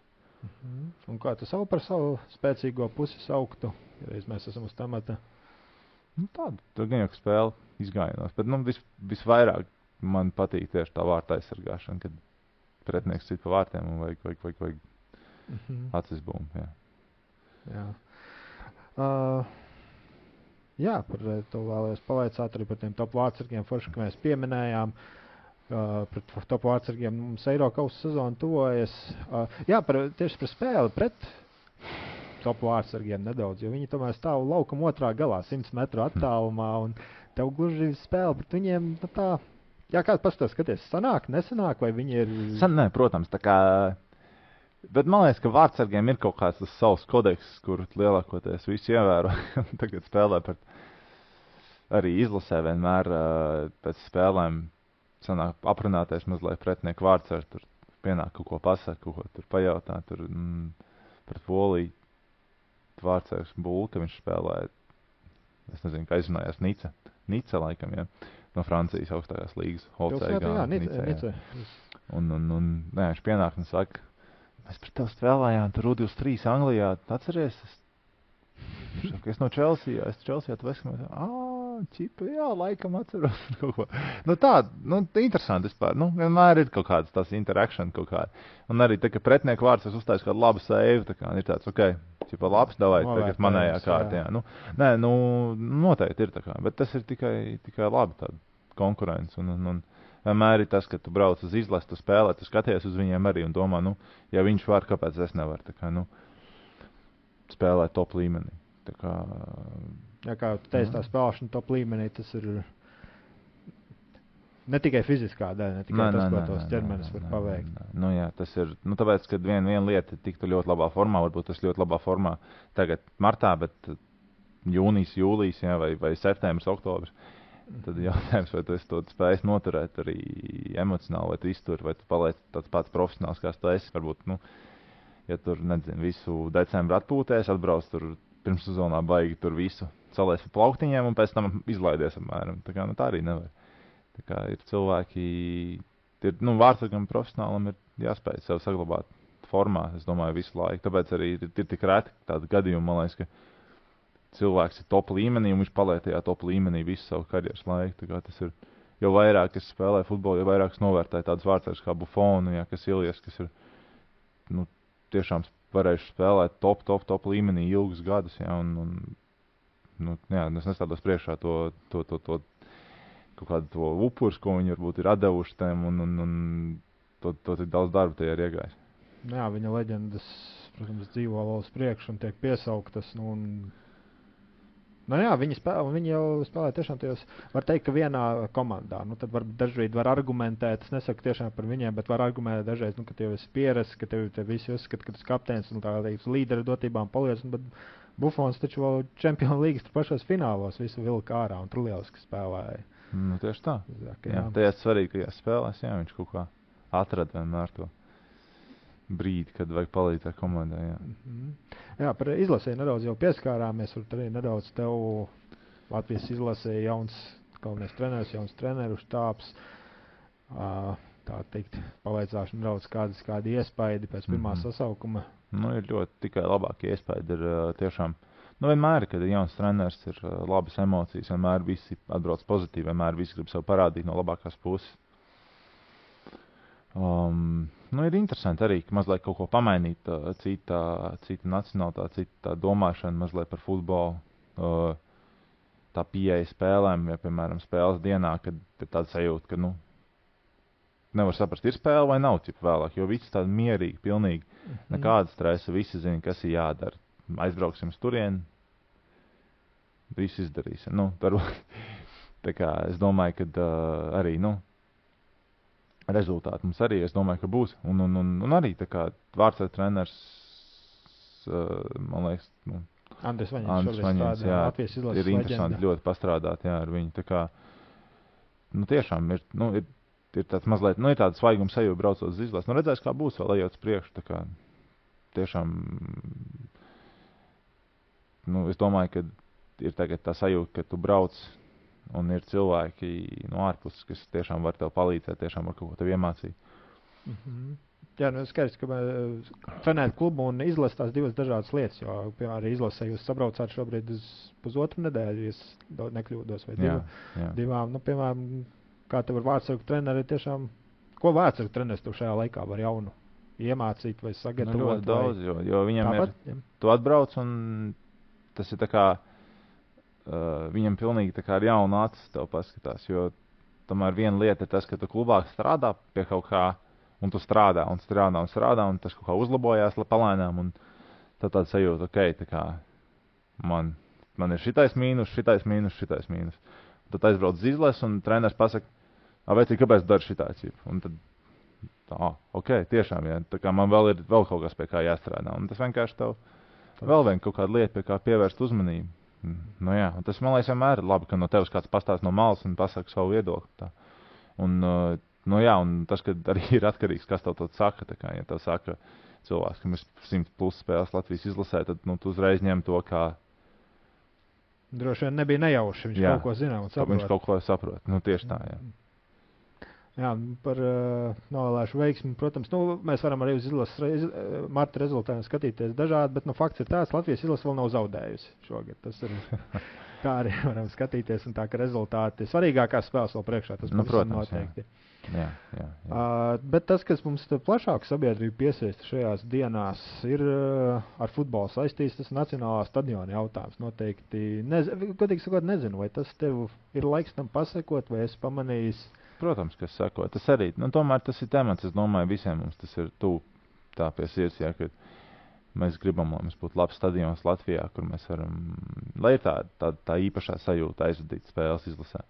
Un kā tu par savu spēcīgo pusi sauktu, ja reiz mēs esam uz tamata?
Tur gan jau spēle izgājienos, bet visvairāk man patīk tieši tā vārta aizsargāšana, kad pretinieks sit pa vārtiem un vajag acis bumbu, jā.
Jā, par to vēlējos pavaicāt arī par tiem top vārdsargiem, forši, ka mēs pieminējām. Pret top vārdsargiem mums Eirokausa sezona tuvojas. Tieši par spēli pret top vārdsargiem nedaudz, jo viņi tomēr stāv laukuma otrā galā, 100 metru attālumā, un tev gluži spēle pret viņiem, kāds pastāv skaties, sanāk, nesanāk, vai viņi ir...
Nē, protams, bet man liekas, ka vārdsargiem ir kaut kāds tas savs kodeks, kur lielākoties visi ievēro. Tagad spēlē arī izlasē vienmēr pēc spēlēm sanāk aprunāties mazliet pretinieku vārdsargi, tur pienāk kaut ko pasaka, kaut ko tur pajautā, tur pret Poliju vārdsargs Bulka, viņš spēlēja, es nezinu, kā izrunājās, Nica laikam, ja, no Francijas augstākās līgas, Holcēgā, Nica. Un viņš pienāk un saka, mēs pret tev spēlējām, tur U23 Anglijā, atceries? Es no Chelsea, tu esi, čipa, jā, laikam atceros kaut ko. Interesanti vispār, vienmēr ir kaut kāds tās interaction kaut kāda. Un arī tā, ka pretinieku vārds uzstājas kādu labu seivu, ir tāds, čipa labs, davai, tagad manējā kārtā, jā. Noteikti ir tā kā, bet tas ir tikai labi tāda konkurence un vienmēr ir tas, ka tu brauc uz izlasi, tu spēlē, tu skaties uz viņiem arī un domā, ja viņš var, kāpēc es nevaru, spēlēt top līmenī.
Kā tu teici, tā spēlēšana top līmenī, tas ir ne tikai fiziskā daļa, ne tikai tas, ko tos ķermenis var paveikt.
Jā, tas ir, tāpēc, kad viena lieta tiktu ļoti labā formā, varbūt tas ļoti labā formā tagad martā, bet jūnijas, jūlijas, jā, vai septembris, oktobris, tad jautājums, vai tu esi to spējis noturēt arī emocionāli, vai tu izturi, vai tu paliec tāds pats profesionāls, kāds tu esi. Varbūt, ja tur, nezinu, visu decembru atpūtēs, atbrauc tur pirms sezonā baigi tur visu salēs pa plauktiņiem un pēc tam izlaidies apmēram. Tā arī nevar. Ir cilvēki, vārdsargam profesionālam ir jāspēj sev saglabāt formā, es domāju, visu laiku. Tāpēc arī ir tik reti tādi gadījumi, man liekas, ka cilvēks ir top līmenī, un viņš paliek tajā top līmenī visu savu karjeras laiku. Tā kā tas ir, jo vairāk es spēlēju futbolu, jo vairāk es novērtēju tādus vārdsargus kā Buffonu, jā, kas Ilijas, kas ir, nu, tiešām varējuši spēlēt top līmenī ilgus gadus, jā, un nu, jā, es nestādos priekšā to kaut kādu to upurs, ko viņi varbūt ir atdevuši tiem, un to tik daudz darba tajā ir iegājis.
Jā, viņa leģendas, protams, dzīvo vēl uz priekšu un tiek piesauktas, nu, nu jā, viņi jau spēlē tiešām tajos, var teikt, ka vienā komandā, nu, tad dažreiz var argumentēt, es nesaku tiešām par viņiem, bet var argumentēt dažreiz, nu, ka tev esi pierasts, ka tev visi uzskata, ka tu esi kapteinis un tā teiks līdera dotībām paliec, bet Buffons taču vēl Champions Leagues tur pašos finālos visu vilka ārā un tur lieliski spēlēja.
Nu, tieši tā.
Jā.
Tajā svarīgajās spēlēs, jā, viņš kaut kā atrada vienmēr to brīdi, kad vajag palīdzēt komandai, jā.
Jā, par izlasēju nedaudz jau pieskārāmies, tur arī nedaudz tev Latvijas izlasēja jauns galvenais treneris, jauns treneru štābs, tā teikt, pavaicāšu nedaudz kādi iespaidi pēc pirmā sasaukuma.
Nu, ir ļoti tikai labākie iespaidi, ir tiešām. Nu, vienmēr, kad ir jauns treneris, ir labas emocijas, vienmēr visi atbrauc pozitīvi, vienmēr visi grib sev parādīt no labākās puses. Nu, ir interesanti arī, ka mazliet kaut ko pamainīt, cita nacionālitāte, cita domāšana mazliet par futbolu, tā pieeja spēlēm, ja, piemēram, spēles dienā, kad ir tāda sajūta, ka, nu, nevar saprast, ir spēle vai nav cipa vēlāk, jo viss tādi mierīgi, pilnīgi, nekāda stresa, visi zina, kas ir jādara. Aizbrauksim uz turieni, visu izdarīsim. Nu, tā kā es domāju, ka arī, nu, rezultāti mums arī, es domāju, ka būs. Un arī tā kā vārdsargu treneris, man liekas, nu,
Andris Vaņins,
jā,
Latvijas izlases
ir interesanti
leģenda.
ļoti pastrādāt, jā, ar viņu. Tā kā, nu, tiešām ir, nu, ir tāds mazliet, nu, ir tāds svaigums sajūta braucot uz izlases. Nu, redzēs, kā būs vēl ejot uz priekšu, tā kā tiešām, nu, es domāju, ka ir tagad tā sajūta, ka tu brauc un ir cilvēki no ārpuses, kas tiešām var tev palīdzēt, tiešām var kaut ko tev iemācīt.
Jā, nu skaidrs, ka trenēt klubu un izlasīt tās divas dažādas lietas, jo, piemēram, arī izlasē jūs sabraucāt šobrīd uz pusotru nedēļu, ja es nekļūdos, vai divām. Nu, piemēram, kā tev ar vārdsargu treneri tiešām, ko vārdsargu treneris tev šajā laikā var jaunu iemācīt vai sagatavot?
Nu, ļoti daudz, jo viņam
tāpat,
ir, tu atbrauc un tas ir tā kā, viņam pilnīgi tā kā ar jaunu acis tev paskatās, jo tomēr viena lieta ir tas, ka tu klubā strādā pie kaut kā, un tu strādā, un tas kaut kā uzlabojās palēnām, un tad tāda sajūta, ok, tā kā man ir šitais mīnus. Tad aizbrauc uz izlasi, un treneris pasaka, vecīt, kāpēc dari šitā cīpa? Un tad, ok, tiešām, jā, tā kā man vēl ir kaut kas pie kā jāstrādā, un tas vienkārši tev vēl vien kaut kāda lieta, pie kā pievērst uzmanību. Nu jā, un tas, man liekas, vienmēr ir labi, ka no tevis kāds pastāst no malas un pasaka savu viedokli. Tā. Un, nu jā, un tas, ka arī ir atkarīgs, kas tev to saka. Tā kā, ja tev saka cilvēks, ka mēs 100+ spēles Latvijas izlasē, tad nu, tu uzreiz ņem to, kā...
Droši vien nebija nejauši, viņš kaut ko zina un saprot.
Viņš kaut ko saprot, nu tieši tā, jā.
Jā, par novēlēšu veiksmi, protams, nu, mēs varam arī uz izlases marta rezultātiem skatīties dažādi, bet, nu, fakts ir tāds, Latvijas izlase vēl nav zaudējusi šogad. Tas ir, tā arī varam skatīties, un tā, ka rezultāti svarīgākās spēles vēl priekšā, tas
nu, protams,
noteikti.
Jā.
Bet tas, kas mums plašāku sabiedrību piesaista šajās dienās, ir ar futbolu saistīts, tas nacionālā stadiona jautājums. Noteikti, godīgi sakot, nezinu, vai tas tev ir laiks tam pasakot, vai esi pamanījis.
Protams, kas sako, tas arī, nu, tomēr tas ir temats, es domāju, visiem mums tas ir tuvu tā pie sirds, jā, ka mēs gribam, lai mums būtu labs stadions Latvijā, kur mēs varam, lai ir tā īpašā sajūta aizvadīt spēles izlasē.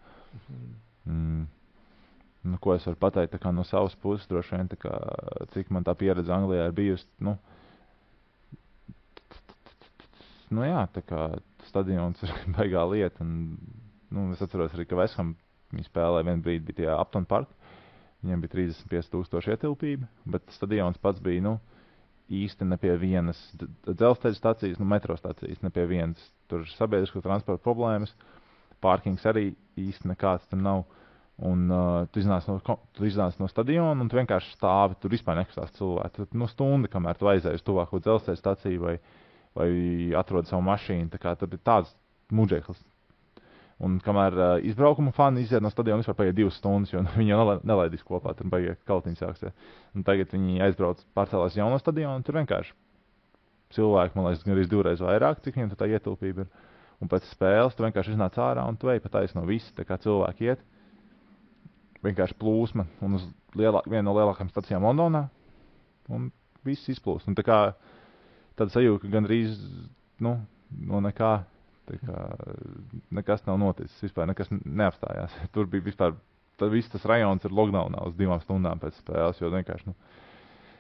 Nu, ko es varu pateikt, tā kā no savas puses, droši vien, tā kā, cik man tā pieredze Anglijā ir bijusi, nu jā, tā kā stadions ir baigā lieta, un, nu, es atceros arī, ka West Ham viņi spēlēja vienu brīdi, bija tajā Upton Park, viņiem bija 35,000 ietilpība, bet stadions pats bija, nu, īsti ne pie vienas dzelzceļa stacijas, nu, metro stacijas, ne pie vienas. Tur ir sabiedrisko transporta problēmas, pārkings arī īsti nekāds tur nav, un tu iznāc no stadiona, un tu vienkārši stāvi, tur vispār nekustās cilvēki. Tur, nu, stunda, kamēr tu aizēji uz tuvāko dzelzceļa staciju vai atrod savu mašīnu. Tā kā tur ir tāds muģeklis. Un kamēr izbraukuma fani iziet no stadiona, vispār paiet 2 stundas, jo viņi jau nelaidīs kopā, tur baigiet kaltiņi sāksies. Un tagad viņi aizbrauc pārcēlās jauno stadionu, un tur vienkārši cilvēki, man liekas, gan arī 2 reizes vairāk, cik viņiem tā ietilpība ir. Un pēc spēles tu vienkārši iznāc ārā un tu ej pa taisno visi, tā kā cilvēki iet. Vienkārši plūsma un uz vienu no lielākajām stacijām Londonā, un viss izplūst. Un tā kā tāda sajūta, ka gandrīz, no nekā, tā kā nekas nav noticis, vispār nekas neapstājās. Tur bija vispār, viss tas rajons ir lockdownā uz 2 stundām pēc spēles, jo vienkārši,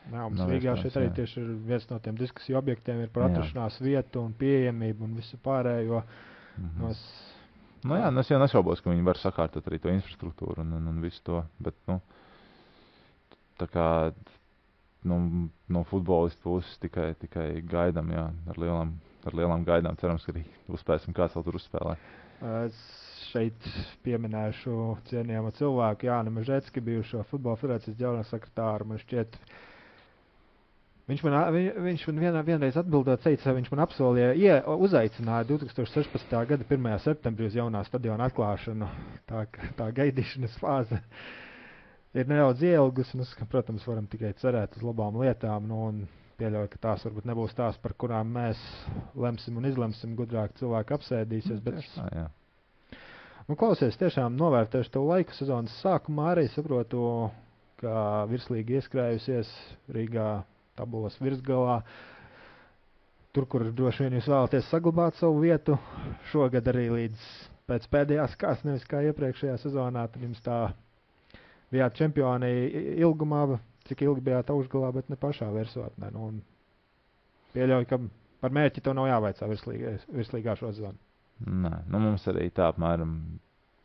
Jā, mums Rīgā šeit arī tieši ir viens no tiem diskusiju objektiem ir par atrašanās vietu un pieejamību un visu pārējo.
Es jau nešaubos, ka viņi var sakārtot arī to infrastruktūru un visu to, bet, tā kā no futbolistu puses tikai gaidām, jā, ar lielām gaidām, cerams, ka arī uzspēsim kāds vēl tur uzspēlē.
Es šeit pieminēšu cienījamo cilvēku Jāni Mežecki, bijušo Futbola federācijas ģenerālsekretāru, man šķiet. Viņš man vienreiz atbildot teica, viņš man apsolīja, uzaicināja 2016. gada 1. septembrī uz jaunā stadiona atklāšanu. Tā gaidīšanas fāze ir nedaudz ielgus, un protams, varam tikai cerēt uz labām lietām, un pieļauju, ka tās varbūt nebūs tās, par kurām mēs lemsim un izlemsim, gudrāk cilvēki apsēdīsies. Klausies, tiešām novērtēšu tev laiku sezonas sākumā, arī saprotu, ka virslīga ieskrējusies Rīgā tabulas virsgalā. Tur, kur droši vien jūs vēlaties saglabāt savu vietu, šogad arī līdz pēc pēdējās kārtas, nevis kā iepriekšējā sezonā, tad jums tā bijāt čempioni ilgumā, cik ilgi bijāt augšgalā, bet ne pašā virsotnē. Un pieļauju, ka par mērķi to nav jāvaicā virslīgā šo sezonu.
Nē, mums arī tā apmēram.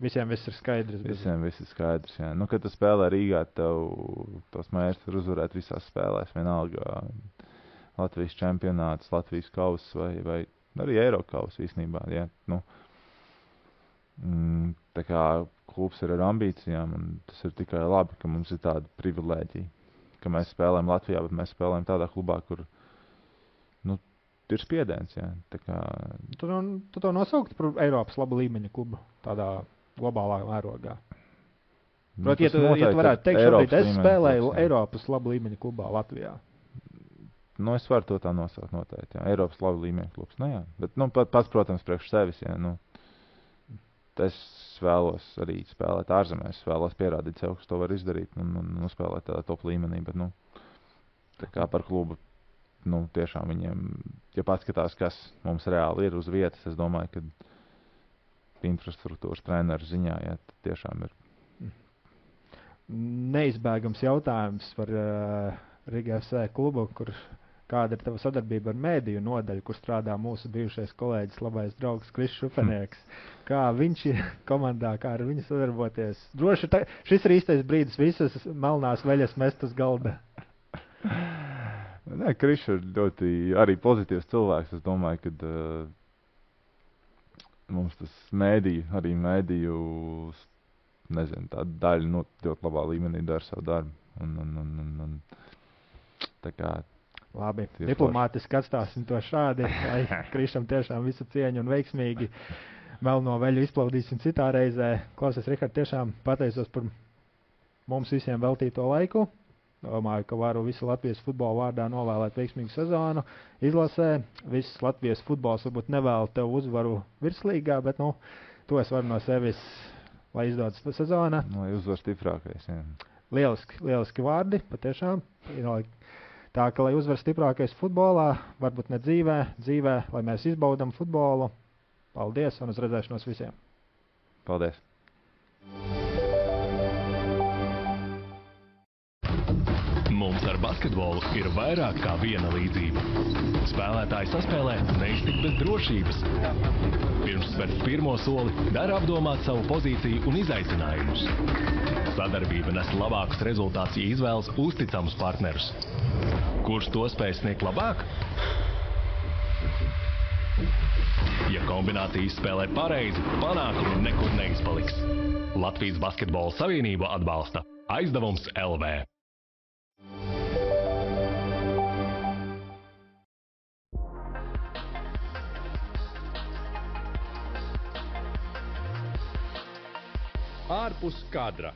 Visiem viss ir skaidrs.
Visiem viss ir skaidrs, jā. Kad tu spēlē Rīgā, tev tos mērķus ir uzvarēt visās spēlēs, vienalga Latvijas čempionāts, Latvijas kauss vai arī Eirokauss īstenībā, jā. Tā kā klubs ir ar ambīcijām, un tas ir tikai labi, ka mums ir tāda privilēģija, ka mēs spēlējam Latvijā, bet mēs spēlējam tādā klubā, kur ir spiediens, jā. Tā kā
Tu to nosaukt par Eiropas laba līmeņa klubu, tādā globālā mērogā. Proti, ja tu varētu teikt, šobrīd es spēlēju Eiropas laba līmeņa klubā Latvijā.
Es varu to tā nosaukt noteikti, jā. Eiropas laba līmeņa klubs. Jā. Bet, pats, protams, priekš sevis, jā. Es vēlos arī spēlēt ārzemēs, es vēlos pierādīt sev, kas to var izdarīt un spēlēt tādā top līmenī, bet, tā kā par klubu, tiešām viņiem, ja paskatās, kas mums reāli ir uz vietas, es domāju, ka infrastruktūras treneru ziņā, jā, tiešām ir.
Neizbēgams jautājums par Riga FC klubu, kāda ir tava sadarbība ar mēdīju nodaļu, kur strādā mūsu bijušais kolēģis, labais draugs Kris Šupenieks. Kā viņš ir komandā, kā ar viņu sadarboties? Droši, šis ir īstais brīdis visas melnās veļas mest uz galda.
Nē, Kris ir ļoti arī pozitīvs cilvēks. Es domāju, ka mums tas mēdīju, nezinu, tā daļa ļoti labā līmenī dara savu darbu. Un tā kā
labi, diplomātiski atstāsim to šādi, lai Krišam tiešām visu cieņu un veiksmīgi melno veļu izplaudīsim citā reizē. Klausies, Rihard, tiešām pateicos par mums visiem veltīto laiku. Domāju, ka varu visu Latvijas futbola vārdā novēlēt veiksmīgu sezonu izlasē. Viss Latvijas futbols varbūt nevēl tev uzvaru virslīgā, bet, to es varu no sevis, lai izdodas sezona.
Lai uzvar stiprākais, jā.
Lieliski vārdi, patiešām. Tā, ka, lai uzvar stiprākais futbolā, varbūt ne dzīvē, lai mēs izbaudam futbolu. Paldies un uz redzēšanos visiem.
Paldies.
Mums ar basketbolu ir vairāk kā viena līdzība. Spēlētāji saspēlē neiztikt bez drošības. Pirms spērt pirmo soli, dara apdomāt savu pozīciju un izaicinājumus. Sadarbība nes labākus rezultātus, ja izvēlas uzticamus partnerus. Kurš to spēj sniegt labāk? Ja kombinācija izspēlē pareizi, panākumi nekur neizpaliks. Latvijas Basketbola Savienība atbalsta Aizdevums LV.
Ārpus kadra.